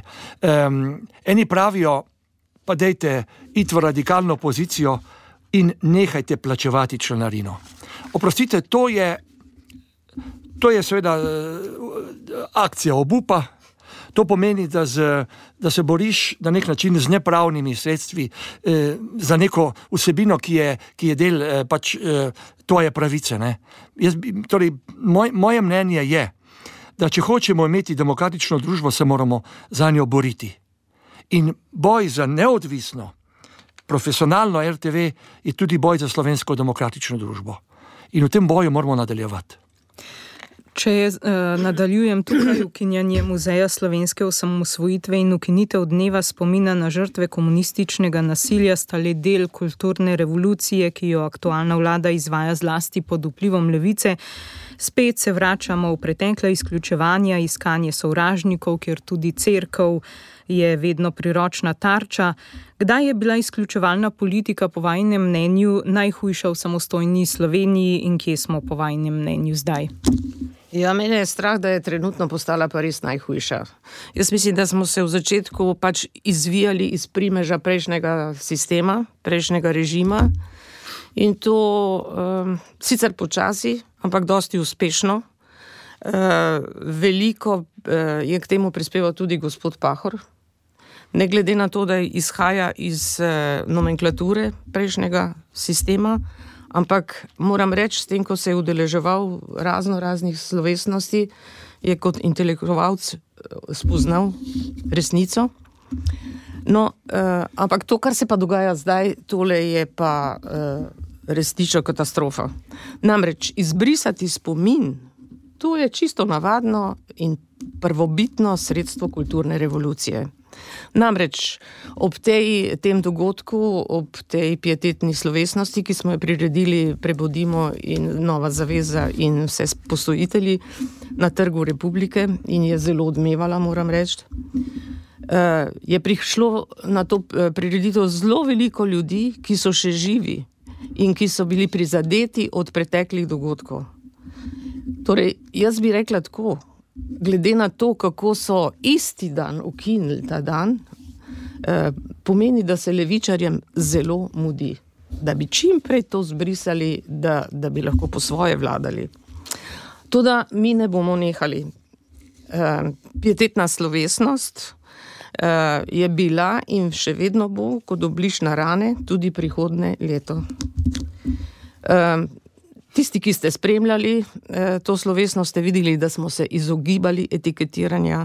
Eni pravijo, pa dejte iti v radikalno pozicijo in nehajte plačevati članarino. Oprostite, to je seveda akcija obupa, To pomeni, da se boriš na nek način z nepravnimi sredstvi za neko vsebino, ki je del pač tvoje pravice. Ne? Torej, moje mnenje je, da če hočemo imeti demokratično družbo, se moramo za njo boriti. In boj za neodvisno, profesionalno RTV je tudi boj za slovensko demokratično družbo. In v tem boju moramo nadaljevati. Če nadaljujem tukaj, ukinjanje Muzeja slovenske osamosvojitve in ukinitev dneva spomina na žrtve komunističnega nasilja sta le del kulturne revolucije, ki jo aktualna vlada izvaja zlasti pod vplivom levice. Spet se vračamo v pretekla izključevanja, iskanje sovražnikov, kjer tudi cerkev je vedno priročna tarča. Kdaj je bila izključevalna politika po vajinem mnenju najhujša v samostojni Sloveniji in kje smo po vajinem mnenju zdaj? Ja, mene je strah, da je trenutno postala pa res najhujša. Jaz mislim, da smo se v začetku pač izvijali iz primeža prejšnjega sistema, prejšnjega režima in to sicer počasi, ampak dosti uspešno. Veliko je k temu prispeval tudi gospod Pahor. Ne glede na to, da izhaja iz nomenklature prejšnjega sistema, ampak moram reči, s tem, ko se je udeleževal raznih slovesnosti, je kot intelektualec spoznal resnico. No, ampak to, kar se pa dogaja zdaj, tole je pa resnična katastrofa. Namreč izbrisati spomin, to je čisto navadno in prvobitno sredstvo kulturne revolucije. Namreč ob tem dogodku, ob tej pietetni slovesnosti, ki smo jo priredili Prebudimo in Nova zaveza in vse postojitelji na Trgu Republike in je zelo odmevala, moram reči, je prišlo na to prireditev zelo veliko ljudi, ki so še živi in ki so bili prizadeti od preteklih dogodkov. Torej, jaz bi rekla tako, glede na to, kako so isti dan ukinili ta dan, pomeni, da se levičarjem zelo mudi, da bi čim prej to zbrisali, da bi lahko po svoje vladali. Toda mi ne bomo nehali. Pietetna slovesnost je bila in še vedno bo kot obliž na rane tudi prihodnje leto. Tisti, ki ste spremljali to slovesnost, ste videli, da smo se izogibali etiketiranja.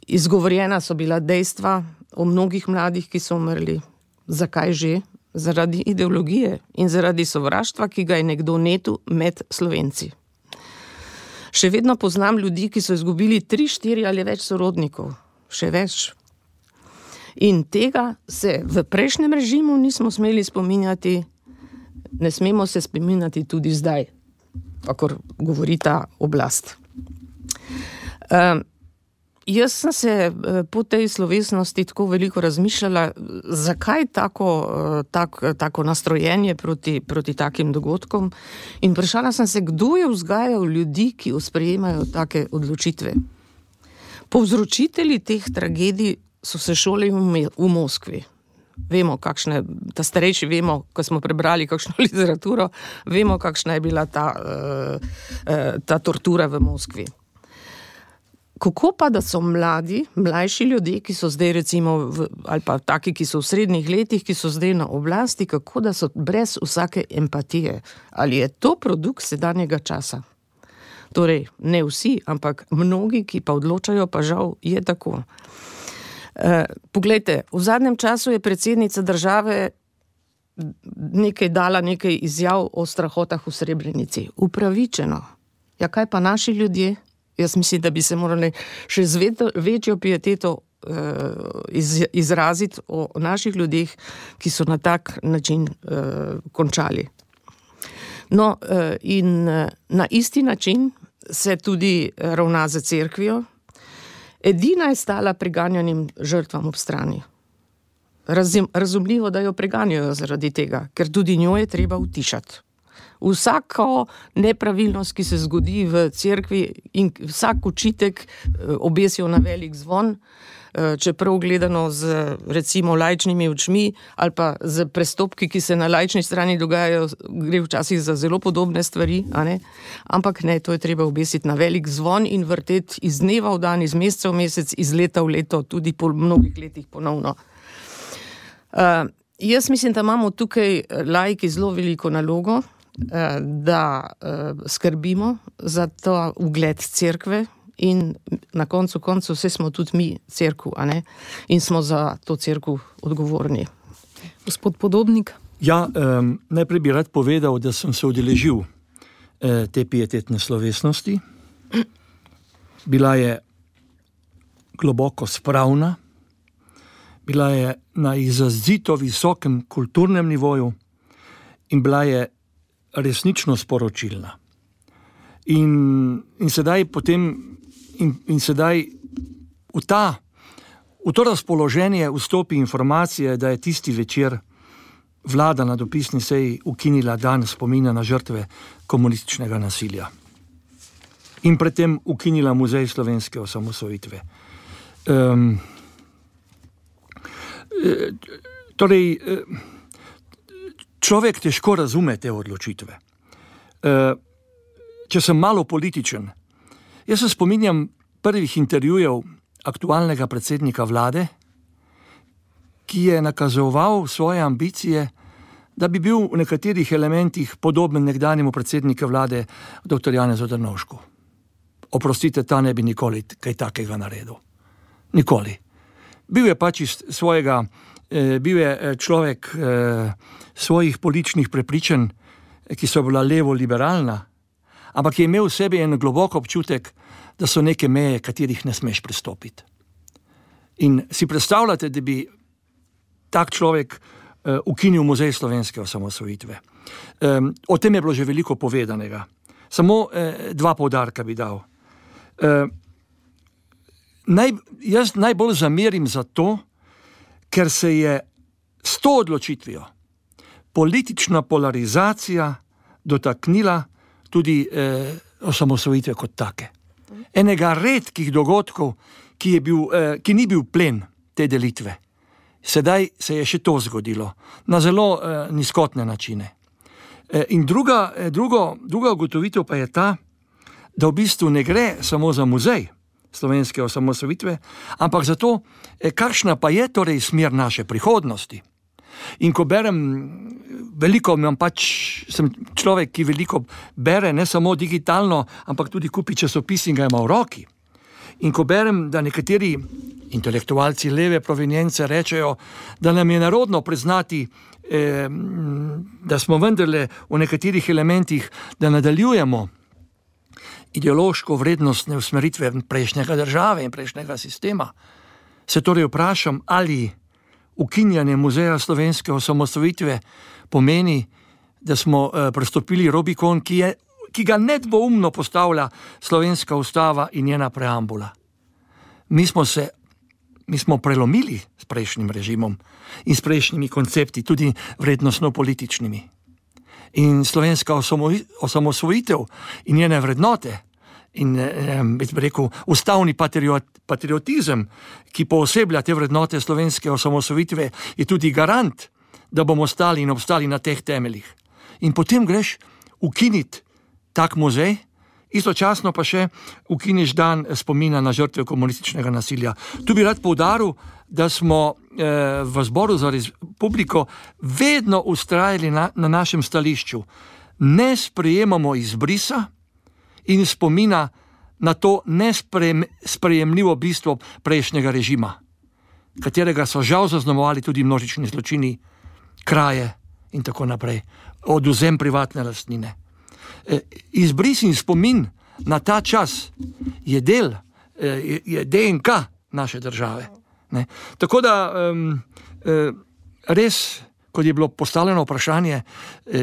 Izgovorjena so bila dejstva o mnogih mladih, ki so umrli. Zakaj že? Zaradi ideologije in zaradi sovraštva, ki ga je nekdo netu med Slovenci. Še vedno poznam ljudi, ki so izgubili 3, 4 ali več sorodnikov. Še več. In tega se v prejšnjem režimu nismo smeli spominjati, ne smemo se spominjati tudi zdaj, kakor govori ta oblast. Jaz sem se po tej slovesnosti tako veliko razmišljala, zakaj tako nastrojenje proti takim dogodkom in vprašala sem se, kdo je vzgajal ljudi, ki sprejemajo take odločitve. Povzročitelji teh tragedij so se šolali v Moskvi. Vemo, ta starejši vemo, ko smo prebrali kakšno literaturo, vemo, kakšna je bila ta tortura v Moskvi. Kako pa, da so mlajši ljudje, ki so zdaj recimo, ali pa taki, ki so v srednjih letih, ki so zdaj na oblasti, kako da so brez vsake empatije? Ali je to produkt sedanjega časa? Torej, ne vsi, ampak mnogi, ki pa odločajo, pa žal je tako. Poglejte, v zadnjem času je predsednica države dala nekaj izjav o strahotah v Srebrenici. Upravičeno. Ja, kaj pa naši ljudje? Jaz mislim, da bi se morali še z večjo pieteto izraziti o naših ljudeh, ki so na tak način končali. No, in na isti način se tudi ravna za cerkvijo. Edina je stala preganjanim žrtvam ob strani. Razumljivo, da jo preganjajo zaradi tega, ker tudi njo je treba utišati. Vsako nepravilnost, ki se zgodi v cerkvi in vsak očitek obesijo na velik zvon, čeprav gledano z recimo laičnimi očmi ali pa z prestopki, ki se na laični strani dogajajo, gre včasih za zelo podobne stvari, a ne? Ampak ne, to je treba obesiti na velik zvon in vrteti iz dneva v dan, iz meseca v mesec, iz leta v leto, tudi po mnogih letih ponovno. Jaz mislim, da imamo tukaj laiki zelo veliko nalogo, da skrbimo za to ugled cerkve in na koncu vse smo tudi mi cerkev, a ne? In smo za to cerkev odgovorni. Gospod Podobnik? Ja, najprej bi rad povedal, da sem se udeležil te pietetne slovesnosti. Bila je globoko spravna, bila je na izrazito visokem kulturnem nivoju in bila je resnično sporočilna. In sedaj v to razpoloženje vstopi informacije, da je tisti večer vlada na dopisni seji ukinila dan spomina na žrtve komunističnega nasilja. In predtem ukinila Muzej slovenske osamosvojitve. Človek težko razume te odločitve. Če sem malo političen, jaz se spominjam prvih intervjujev aktualnega predsednika vlade, ki je nakazoval svoje ambicije, da bi bil v nekaterih elementih podoben nekdanjemu predsedniku vlade dr. Janezu Drnovšku. Oprostite, ta ne bi nikoli kaj takega naredil. Nikoli. Bil je človek svojih političnih prepričanj, ki so bila levo-liberalna, ampak je imel v sebi en globok občutek, da so neke meje, katerih ne smeš prestopiti. In si predstavljate, da bi tak človek ukinil Muzej slovenske osamosvojitve. O tem je bilo že veliko povedanega. Samo dva poudarka bi dal. Jaz najbolj zamerim za to, ker se je s to odločitvijo politična polarizacija dotaknila tudi osamosvojitve kot take. Enega redkih dogodkov, ki ni bil plen te delitve. Sedaj se je še to zgodilo na zelo nizkotne načine. In druga ugotovitev pa je ta, da v bistvu ne gre samo za muzej slovenske osamosvojitve, ampak za to, kakšna pa je torej smer naše prihodnosti. In ko berem sem človek, ki veliko bere, ne samo digitalno, ampak tudi kupi časopis in ga ima v roki. In ko berem, da nekateri intelektualci leve provenience rečejo, da nam je narodno priznati, da smo vendarle v nekaterih elementih, da nadaljujemo ideološko vrednostne usmeritve prejšnjega države in prejšnjega sistema, se torej vprašam, ali ukinjanje Muzeja slovenske osamosvojitve pomeni, da smo prestopili Rubikon, ki ga nedvoumno postavlja slovenska ustava in njena preambula. Mi smo prelomili s prejšnjim režimom in s prejšnjimi koncepti, tudi vrednostno-političnimi. In slovenska osamosvojitev in njene vrednote in ustavni patriotizem, ki pooseblja te vrednote slovenske osamosvojitve, je tudi garant, da bomo stali in obstali na teh temeljih. In potem greš ukiniti tak muzej, istočasno pa še ukiniš dan spomina na žrtve komunističnega nasilja. Tu bi rad poudaril, da smo v Zboru za republiko vedno vztrajali na našem stališču. Ne sprejemamo izbrisa in spomina na to nesprejemljivo bistvo prejšnjega režima, katerega so žal zaznamovali tudi množični zločini, kraje in tako naprej, odvzem privatne lastnine. Izbris in spomin na ta čas je DNK naše države. Ne? Tako da res, kot je bilo postavljeno vprašanje,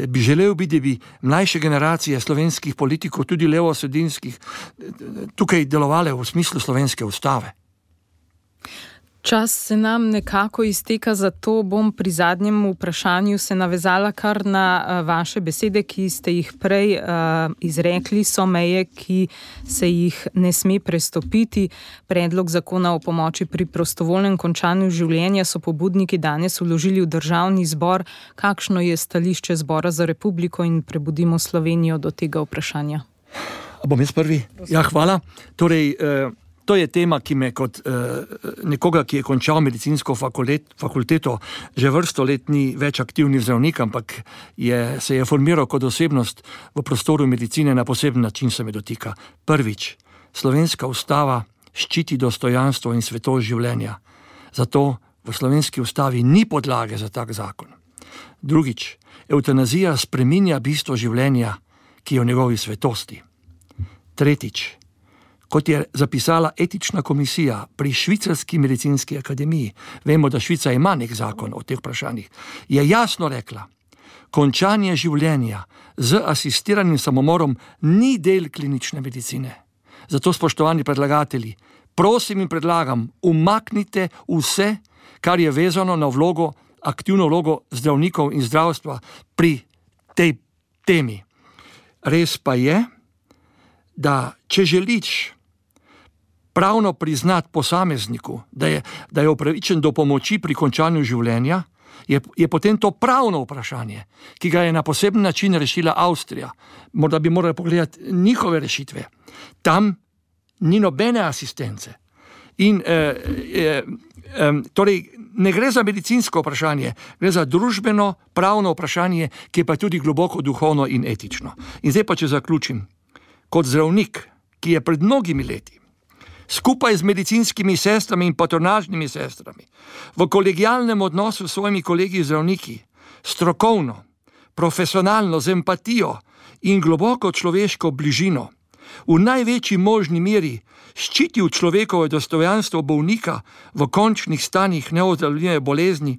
bi želel biti, da bi mlajše generacije slovenskih politikov, tudi levosredinskih, tukaj delovale v smislu slovenske ustave. Čas se nam nekako izteka, zato bom pri zadnjem vprašanju se navezala kar na vaše besede, ki ste jih prej izrekli, so meje, ki se jih ne sme prestopiti. Predlog zakona o pomoči pri prostovoljnem končanju življenja so pobudniki danes vložili v Državni zbor. Kakšno je stališče Zbora za republiko in Prebudimo Slovenijo do tega vprašanja? Bom jaz prvi? Ja, hvala. Torej, to je tema, ki me kot nekoga, ki je končal medicinsko fakulteto, že vrsto let ni več aktivni zdravnik, ampak se je formiral kot osebnost v prostoru medicine, na poseben način se me dotika. Prvič, slovenska ustava ščiti dostojanstvo in svetost življenja. Zato v slovenski ustavi ni podlage za tak zakon. Drugič, evtanazija spreminja bistvo življenja, ki je v njegovi svetosti. Tretjič, kot je zapisala etična komisija pri Švicarski medicinski akademiji, vemo, da Švica ima nek zakon o teh vprašanjih, je jasno rekla, končanje življenja z asistiranim samomorom ni del klinične medicine. Zato, spoštovani predlagatelji, prosim in predlagam, umaknite vse, kar je vezano na aktivno vlogo zdravnikov in zdravstva pri tej temi. Res pa je, da če želiš pravno priznati posamezniku, da je upravičen do pomoči pri končanju življenja, je potem to pravno vprašanje, ki ga je na poseben način rešila Avstrija. Morda bi morali pogledati njihove rešitve. Tam ni nobene asistence. In torej ne gre za medicinsko vprašanje, gre za družbeno, pravno vprašanje, ki je pa tudi globoko duhovno in etično. In zdaj pa, če zaključim, kot zdravnik, ki je pred mnogimi leti skupaj z medicinskimi sestrami in patronažnimi sestrami v kolegialnem odnosu s svojimi kolegi zdravniki, strokovno, profesionalno, z empatijo in globoko človeško bližino, v največji možni meri ščitil človekovo dostojanstvo bolnika v končnih stanjih neozdravljive bolezni,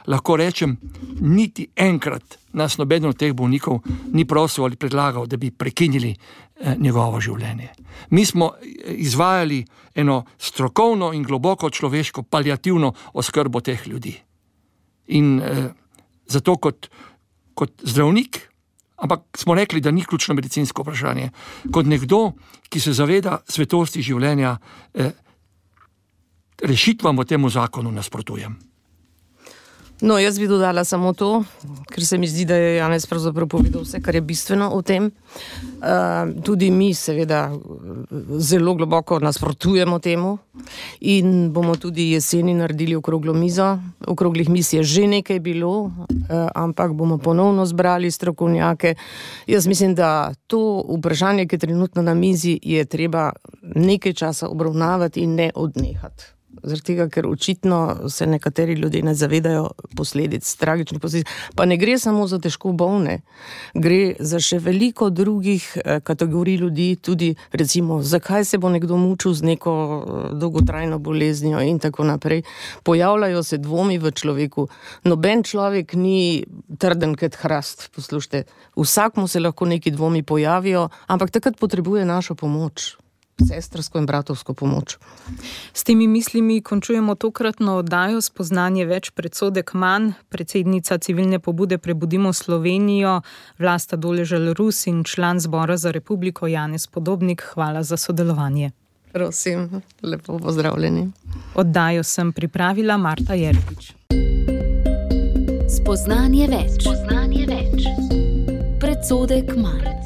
lahko rečem, niti enkrat nas nobeden od teh bolnikov ni prosil ali predlagal, da bi prekinili njegovo življenje. Mi smo izvajali eno strokovno in globoko človeško paliativno oskrbo teh ljudi. In zato kot zdravnik, ampak smo rekli, da ni ključno medicinsko vprašanje, kot nekdo, ki se zaveda svetosti življenja, rešitvam v temu zakonu nasprotujem. No, jaz bi dodala samo to, ker se mi zdi, da je Janez pravzaprav povedal vse, kar je bistveno o tem. Tudi mi seveda zelo globoko nasprotujemo temu in bomo tudi jeseni naredili okroglo mizo. Okroglih miz je že nekaj bilo, ampak bomo ponovno zbrali strokovnjake. Jaz mislim, da to vprašanje, ki je trenutno na mizi, je treba nekaj časa obravnavati in ne odnehati. Zaradi tega, ker očitno se nekateri ljudje ne zavedajo posledic, tragičnih posledic. Pa ne gre samo za težko bolne, gre za še veliko drugih kategorij ljudi, tudi recimo, zakaj se bo nekdo mučil z neko dolgotrajno boleznijo in tako naprej. Pojavljajo se dvomi v človeku. Noben človek ni trden kot hrast, poslušajte. Vsakmu se lahko neki dvomi pojavijo, ampak takrat potrebuje našo pomoč. Sestrsko in bratovsko pomoč. S temi mislimi končujemo tokratno oddajo Spoznanje več, predsodek manj. Predsednica civilne pobude Prebudimo Slovenijo, Vlasta Doležal-Rus in član Zbora za republiko Janez Podobnik, hvala za sodelovanje. Prosim, lepo pozdravljeni. Oddajo sem pripravila Marta Jerkič. Spoznanje več. Predsodek manj.